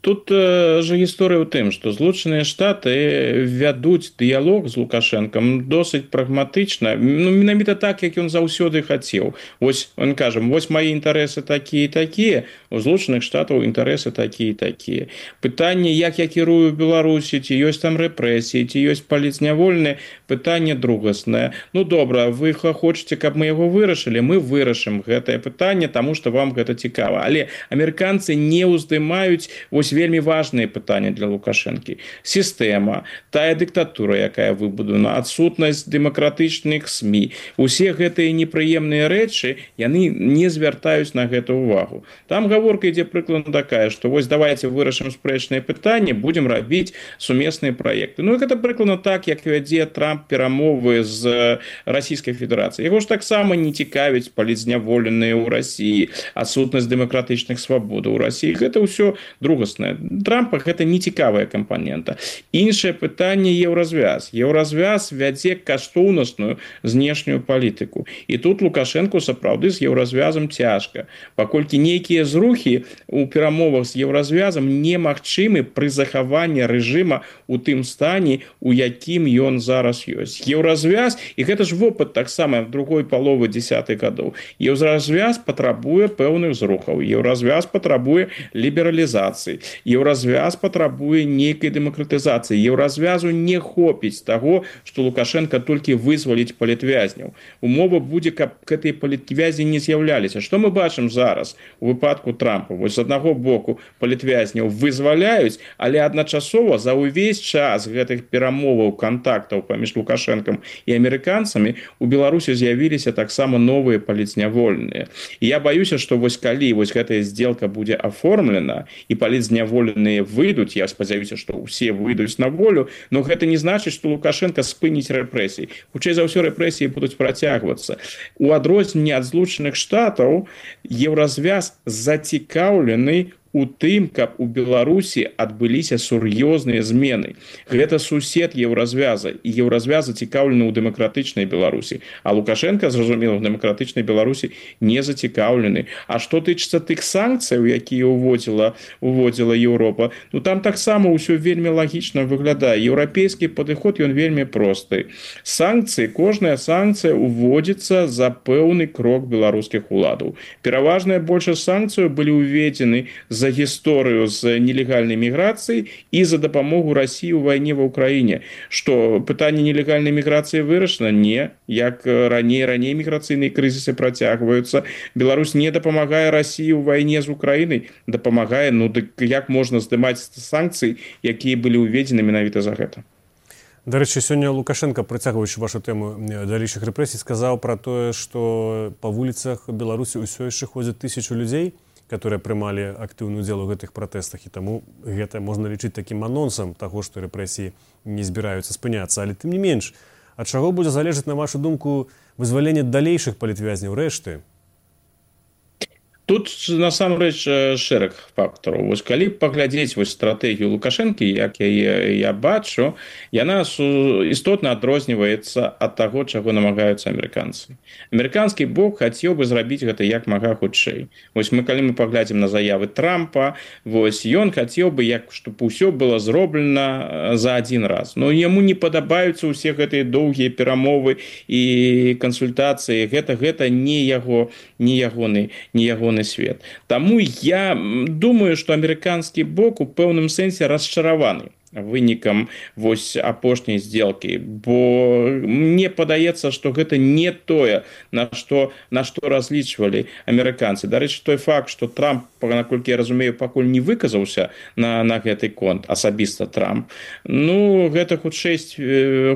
Тут э, же гісторыя ў тым, што Злучаныя Штаты вядуць дыялог з Лукашэнкам досыць прагматычна, ну, менавіта так, як ён заўсёды хацеў. Вось, он кажа, вось мае інтарэсы такія і такія, у Злучаных Штатаў інтарэсы такія і такія. Пытанне, як я кірую ў Беларусі, ці ёсць там рэпрэсіі, ці ёсць паліцнявольныя, пытанне другаснае. Ну, добра, вы хочаце, каб мы яго вырашылі, мы вырашым гэтае пытанне, таму што вам гэта цікава. Але амерыканцы не ўздымаюць вось вельмі важныя пытанні для Лукашэнкі. Сістэма, тая дыктатура, якая выбудавана, адсутнасць дэмакратычных СМІ, усе гэтыя непрыемныя рэчы, яны не звяртаюць на гэта ўвагу. Там гаворка ідзе прыкладна такая, што вось давайте вырашым спрэчныя пытанні, будзем рабіць сумесныя праекты. Ну, гэта прыкладна так, як вядзе Трамп перамовы з Расійскай Федэрацыяй. Яго ж таксама не цікавіць паліцняволеныя ў Расіі, адсутнасць дэмакратычных свабодаў у Расіі. Гэта ўсё другасна. Трампа гэта не цікавая кампанента. Іншае пытанне еўразвяз. Еўразвяз вядзе каштоўнасную знешнюю палітыку. І тут Лукашэнку сапраўды з еўразвязам цяжка, паколькі нейкія зрухі у перамовах з еўразвязам немагчымы пры захаванні рэжыма у тым стане, у якім ён зараз ёсць. Еўразвяз, і гэта ж вопыт таксама другой паловы дзесятых гадоў. Еўразвяз патрабуе пэўных зрухаў. Еўразвяз патрабуе лібералізацыі. Еўразвяз патрабуе нейкай дэмакратызацыі. Еўразвязу не хопіць таго, што Лукашенко толькі вызваліць палітвязняў. Умова будзе, каб гэтыя палітвязні не з'яўляліся. Што мы бачым зараз у выпадку Трампа? Вось з аднаго боку палітвязняў вызваляюць, але адначасова за ўвесь час гэтых перамоваў, кантактаў паміж Лукашэнкам і амерыканцамі у Беларусі з'явіліся таксама новыя палітзняволеныя. І я баюся, што вось калі вось гэтая здзелка будзе аформлена і палітзняволеныя выйдуць, я спадзяюся, што ўсе выйдуць на волю, но гэта не значыць, што Лукашенко спыніць рэпрэсіі. Хутчэй за ўсё рэпрэсіі будуць працягвацца. У адрозненне ад Злучаных Штатаў еўразвяз зацікаўлены у тым, каб у Беларусі адбыліся сур'ёзныя змены. Гэта сусед еўразвяза, і еўразвяз зацікаўлены ў дэмакратычнай Беларусі. А Лукашенко, зразумела, ў дэмакратычнай Беларусі не зацікаўлены. А што тычыцца тых санкцыяў, якія уводзіла, уводзіла Еўропа, ну там таксама ўсё вельмі лагічна выглядае. Еўрапейскі падыход, ён вельмі просты. Санкцыі, кожная санкцыя уводзіцца за пэўны крок беларускіх уладаў. Пераважная большасць санкцыяў былі уведзены за за гісторыю з нелегальнай міграцыяй і за дапамогу Расіі ў вайне ва ўкраіне. Што пытанне нелегальнай міграцыі вырашана? Не. Як раней, раней міграцыйныя крызісы працягваюцца. Беларусь не дапамагае Расіі ў вайне з Украінай. Дапамагае, ну дык як можна здымаць санкцыі, якія былі ўведзены менавіта за гэта? Дарэчы, сёння Лукашенко, працягваючы вашу тэму далейшых рэпрэсій, сказаў пра тое, што па вуліцах Беларусі ўсё яшчэ ходзяць тысячу людзей, которые прымалі актыўны ўдзел у гэтых пратэстах, і таму гэта можна лічыць такім анонсам таго, што рэпрэсіі не збіраюцца спыняцца. Але тым не менш, ад чаго будзе залежаць, на вашу думку, вызваленне далейшых палітвязняў, рэшты? Тут насамрэч шэраг фактараў. Вось калі паглядзець вось стратэгію Лукашэнкі, як яе я бачу, яна істотна адрозніваецца ад таго, чаго намагаюцца амерыканцы. Амерыканскі бок хацеў бы зрабіць гэта як мага хутчэй. Вось мы калі мы паглядзім на заявы Трампа, вось ён хацеў бы, як щоб усё было зроблена за адзін раз. Но яму не падабаюцца ўсе гэтыя доўгія перамовы і кансультацыі. Гэта гэта не яго, не ягоны, не ягоны свет. Таму я думаю, што амерыканскі бок у пэўным сэнсе расчараваны. вынікам вось апошняй сделкі, бо мне падаецца, што гэта не тое, на што на што разлічвалі амерыканцы. Дарэчы, той факт, што Трамп, наколькі я разумею, пакуль не выказаўся на, на гэты конт, асабіста Трамп, ну гэта хутчэй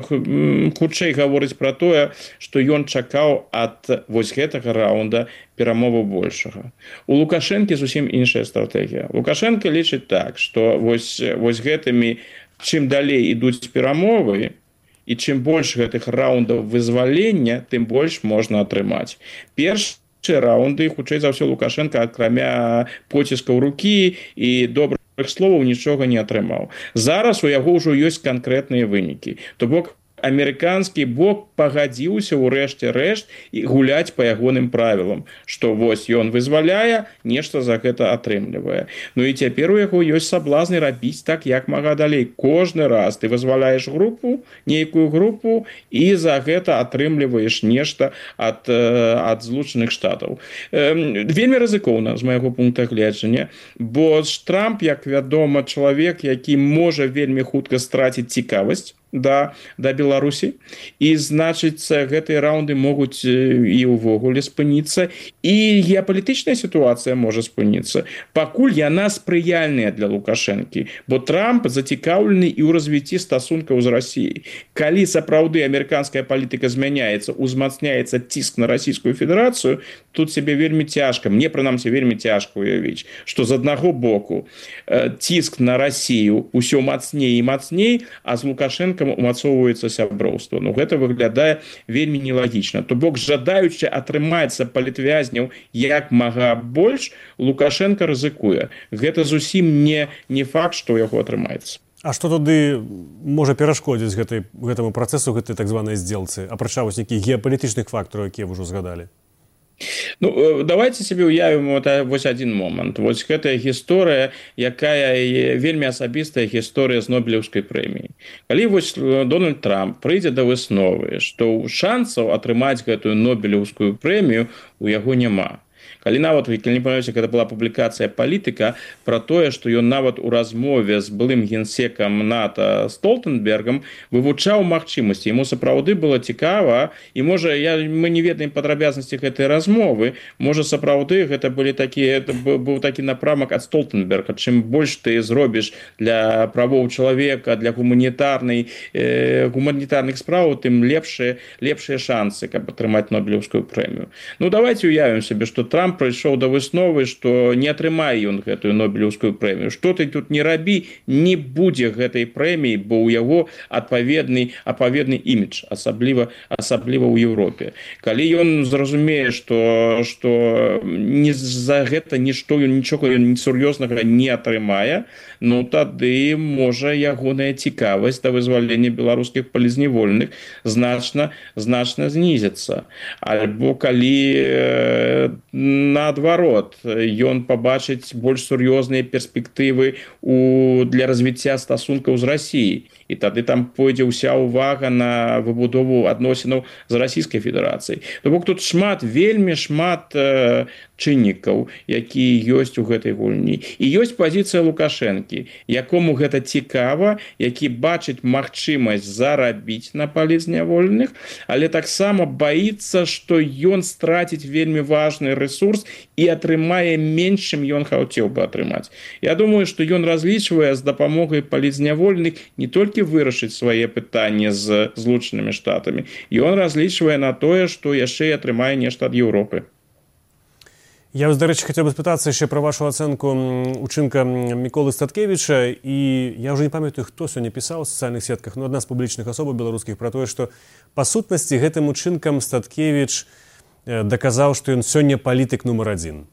хутчэй гаворыць пра тое, што ён чакаў ад вось гэтага раунда перамову большага. У Лукашэнкі зусім іншая стратэгія. Лукашенко лічыць так, што вось, вось гэтымі, чым далей ідуць перамовы, і чым больш гэтых раундаў вызвалення, тым больш можна атрымаць. Перш раунды, хутчэй за ўсё, Лукашенко, акрамя поціскаў рукі і добрых словаў, нічога не атрымаў. Зараз у яго ўжо ёсць канкрэтныя вынікі. То бок, амерыканскі бок пагадзіўся ў рэшце рэшт і гуляць па ягоным правілам, што вось ён вызваляе, нешта за гэта атрымлівае. Ну і цяпер у яго ёсць саблазны рабіць так, як мага далей. Кожны раз ты вызваляеш групу, нейкую групу, і за гэта атрымліваеш нешта ад, ад Злучаных Штатаў. Вельмі рызыкоўна, з майго пункта гледжання, бо Трамп, як вядома, чалавек, які можа вельмі хутка страціць цікавасць да, да Беларусі, і значыць, гэтыя раунды могуць і ўвогуле спыніцца, і геапалітычная сітуацыя можа спыніцца. Пакуль яна спрыяльная для Лукашэнкі, бо Трамп зацікаўлены і ў развіцці стасункаў з Расіяй. Калі сапраўды амерыканская палітыка змяняецца, узмацняецца ціск на Расійскую Федэрацыю, тут сябе вельмі цяжка, мне прынамсі вельмі цяжка уявіць, што з аднаго боку ціск на Расію ўсё мацней і мацней, а з Лукашэнкам умацоўваецца сяброўства. Ну, гэта выглядае вельмі нелагічна. То бок, жадаючы атрымацца палітвязняў як мага больш, Лукашенко рызыкуе. Гэта зусім не, не факт, што ў яго атрымаецца. А што тады можа перашкодзіць гэтай, гэтаму працэсу, гэтай так званай здзелцы, апрача вось нейкіх геапалітычных фактараў, якія вы ўжо згадалі? Ну, давайте себе уявім вот, вось один момент. Вось гэтая гісторыя, якая вельмі асабістая гісторыя з Нобелеўскай прэміяй. Калі вось Дональд Трамп прыйдзе да высновы, што шансаў атрымаць гэтую Нобелеўскую прэмію у яго няма. Калі нават, калі не памятаеце, гэта была публікацыя «Палітыка» пра тое, што ён нават у размове з былым генсекам НАТО Столтенбергам вывучаў магчымасці. Яму сапраўды было цікава, і можа, я, мы не ведаем падрабязнасці гэтай размовы, можа, сапраўды гэта былі такія, быў такі напрамак ад Столтенберга. Чым больш ты зробіш для правоў чалавека, для гуманітарнай, э, гуманітарных справаў, тым лепшыя, лепшыя шансы, каб атрымаць Нобелеўскую прэмію. Ну, давайте уявім себе, што Трамп прыйшоў да высновы, што не атрымае ён гэтую Нобелеўскую прэмію. Што ты тут не рабі, не будзе гэтай прэміі, бо ў яго адпаведны, адпаведны імідж, асабліва, асабліва ў Еўропе. Калі ён зразумее, што, што не за гэта нішто, нічога сур'ёзнага не атрымае, ну тады можа ягоная цікавасць да вызвалення беларускіх палізняволеных значна, значна знізіцца. Альбо калі наадварот, ён пабачыць больш сур'ёзныя перспектывы у, для развіцця стасункаў з Расіяй. І тады там пойдзе ўся ўвага на выбудову адносінаў з Расійскай Федэрацыяй. То бок тут шмат, вельмі шмат э, чыннікаў, якія ёсць у гэтай гульні. І ёсць пазіцыя Лукашэнкі, якому гэта цікава, які бачыць магчымасць зарабіць на палізняволеных, але таксама баіцца, што ён страціць вельмі важны ресурс і атрымае менш, чым ён хацеў бы атрымаць. Я думаю, што ён разлічвае з дапамогай палізняволеных не толькі вырашыць свае пытанні з Злучанымі Штатамі. Ён разлічвае на тое, што яшчэ і атрымае нешта ад Еўропы. Я вас, дарэчы, хацеў бы спытацца яшчэ пра вашу ацэнку учынка Міколы Статкевіча, і я ўжо не памятаю, хто сёння пісаў у сацыяльных сетках, но адна з публічных асобаў беларускіх пра тое, што па сутнасці гэтым учынкам Статкевіч даказаў, што ён сёння палітык нумар адзін.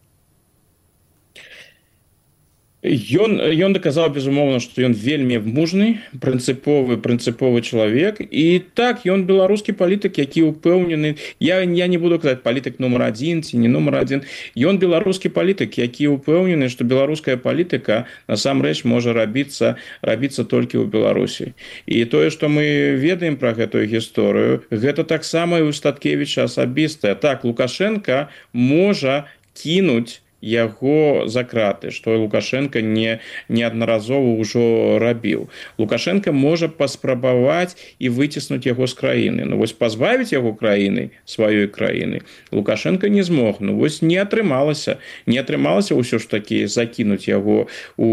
Ён, ён даказаў, безумоўна, што ён вельмі мужны, прынцыповы, прынцыповы чалавек. І так, ён беларускі палітык, які ўпэўнены, я, я не буду казаць палітык нумар адзін ці не нумар адзін, ён беларускі палітык, які ўпэўнены, што беларуская палітыка насамрэч можа рабіцца, рабіцца толькі ў Беларусі. І тое, што мы ведаем пра гэтую гісторыю, гэта таксама і ў Статкевіча асабістае. Так, Лукашенко можа кінуць яго за краты, што Лукашенко не неаднаразова ўжо рабіў. Лукашенко можа паспрабаваць і выціснуць яго з краіны. Ну вось пазбавіць яго краіны, сваёй краіны, Лукашенко не змог. Ну вось не атрымалася. Не атрымалася ўсё ж такі закінуць яго у,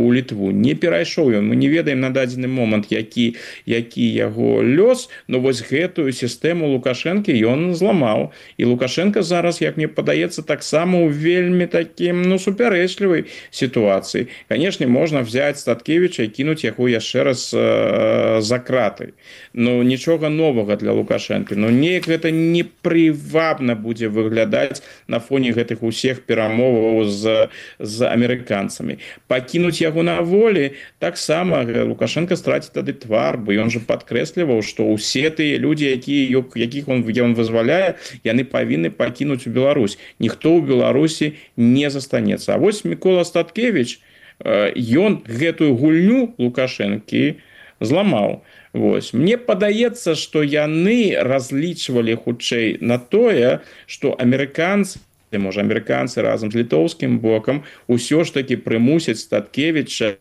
у Літву. Не перайшоў ён. Мы не ведаем на дадзены момант, які, які яго лёс, но вось гэтую сістэму Лукашенко ён зламаў. І Лукашенко зараз, як мне падаецца, таксама ў вельмі таким, ну, супярэчлівай сітуацыі. Канешне, можна взять Статкевіча і кінуць яго яшчэ раз э, за краты. Ну, нічога новага для Лукашенко. Ну, неяк гэта непрывабна будзе выглядаць на фоне гэтых усіх перамоваў з, з амерыканцамі. Пакінуць яго на волі, таксама Лукашенко страціць тады твар, бо ён жа падкрэсліваў, што ўсе тыя людзі, якія, якіх он, ён вызваляе, яны павінны пакінуць у Беларусь. Ніхто ў Беларусі не застанецца. А вось Мікола Статкевіч, ён гэтую гульню Лукашэнкі зламаў. Вось. Мне падаецца, што яны разлічвалі хутчэй на тое, што амерыканцы, можа, амерыканцы разам з літоўскім бокам усё ж такі прымусяць Статкевіча,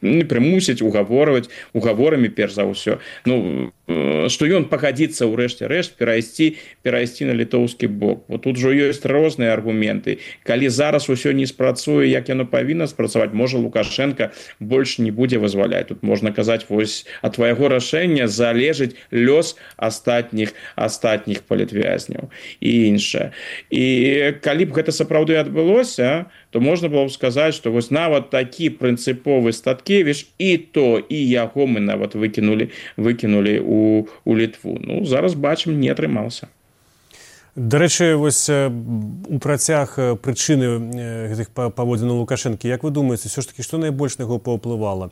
не прымусяць угаворваць угаворамі перш за ўсё. Ну, што ён пагадзіцца ў рэшце рэшт перайсці перайсці на літоўскі бок. Бо тут жа ёсць розныя аргументы. Калі зараз усё не спрацуе, як яно павінна спрацаваць, можа Лукашенко больш не будзе вызваляць. Тут можна казаць, вось ад твайго рашэння залежыць лёс астатніх астатніх палітвязняў і іншае. І калі б гэта сапраўды адбылося, то можна было б сказаць, што вось нават такі прынцыповы Статкевіч і то, і яго мы нават выкінулі, выкінулі у, у Літву. Ну, зараз бачым, не атрымаўся. Дарэчы, вось у працяг прычыны гэтых паводзінаў Лукашэнкі, як вы думаеце, все ж таки, што найбольш на яго паўплывала?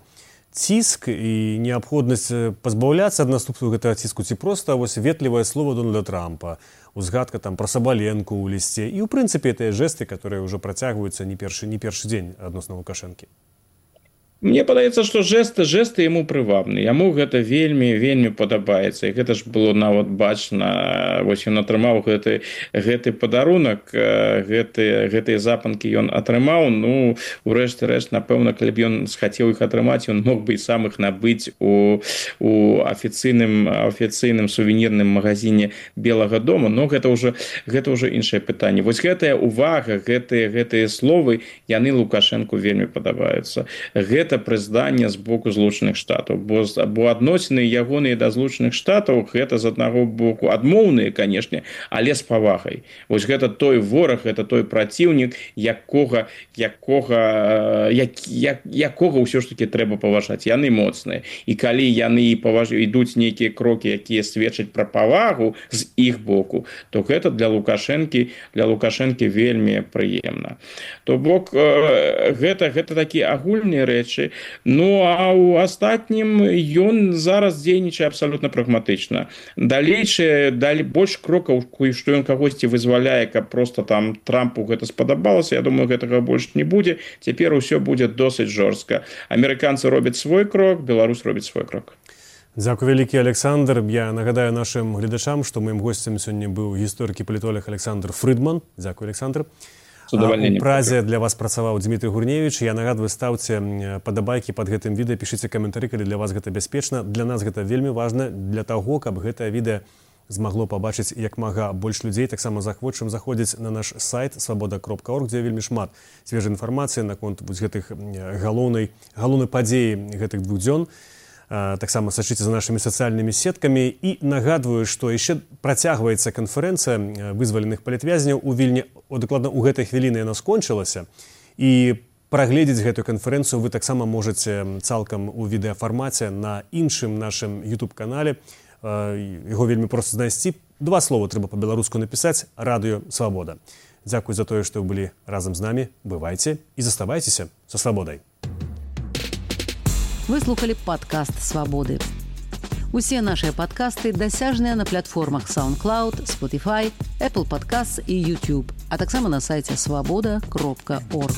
Ціск і неабходнасць пазбаўляцца ад наступству гэтага ціску, ці проста вось ветлівае слово Дональда Трампа, узгадка там пра Сабаленку ў лісце і ў прынцыпе тыя жэсты, которые ўжо працягваюцца не першы, не першы дзень адносна Лукашэнкі. Мне падаецца, што жесты жесты яму прывабны. Яму гэта вельмі вельмі падабаецца. І гэта ж было нават бачна. Вось ён атрымаў гэты гэты падарунак, гэты гэтыя запанкі ён атрымаў. Ну, урэшце рэшт, напэўна, калі б ён схацеў іх атрымаць, ён мог бы і сам іх набыць у у афіцыйным афіцыйным сувенірным магазине Белага дома, но гэта ўжо гэта ўжо іншае пытанне. Вось гэтая увага, гэтыя гэтыя словы, яны Лукашэнку вельмі падабаюцца. Гэта прызнанне з боку Злучаных Штатаў, бо, бо адносіны ягоныя да Злучаных Штатаў гэта з аднаго боку адмоўныя, канешне, але з павагай. Вось гэта той вораг, гэта той праціўнік, якога якога як, як, якога ўсё ж таки трэба паважаць. Яны моцныя. І калі яны паваж... ідуць нейкія крокі, якія сведчаць пра павагу з іх боку, то гэта для Лукашэнкі для Лукашэнкі вельмі прыемна. То бок гэта гэта такія агульныя рэчы. Ну, а ў астатнім ён зараз дзейнічае абсалютна прагматычна. Далейшае, далі больш крокаў, што ён кагосьці вызваляе, каб проста там Трампу гэта спадабалася, я думаю, гэтага больш не будзе. Цяпер усё будзе досыць жорстка. Амерыканцы робяць свой крок, Беларусь робіць свой крок. Дзякуй вялікі, Александр. Я нагадаю нашым гледачам, што маім госцем сёння быў гісторык і палітолог Александр Фрыдман. Дзякуй, Александр. У празе для вас працаваў Дмітрый Гурневіч. Я нагадваю, ставце падабайкі пад гэтым відэа, пішыце каментары, калі для вас гэта бяспечна. Для нас гэта вельмі важна для таго, каб гэтае відэа змагло пабачыць як мага больш людзей. Таксама захвочым заходзіць на наш сайт свабода кропка орг, дзе вельмі шмат свежай інфармацыі наконт гэтых галоўнай галоўнай падзеі гэтых двух дзён. Таксама сачыце за нашымі сацыяльнымі сеткамі і нагадваю, што яшчэ працягваецца канферэнцыя вызваленых палітвязняў у Вільні. Дакладна ў гэтай хвіліны яна скончылася, і прагледзець гэтую канферэнцыю вы таксама можаце цалкам у відэафармаце на іншым нашым YouTube-канале. Яго вельмі проста знайсці. Два слова трэба па-беларуску напісаць: Радыё Свабода. Дзякуй за тое, што вы былі разам з намі. Бывайце і заставайцеся са свабодай. Вы слухали падкаст «Свабоды». Усе нашыя падкасты дасяжныя на платформах SoundCloud, Spotify, Apple Podcasts і YouTube, а таксама на сайце свабода кропка орг.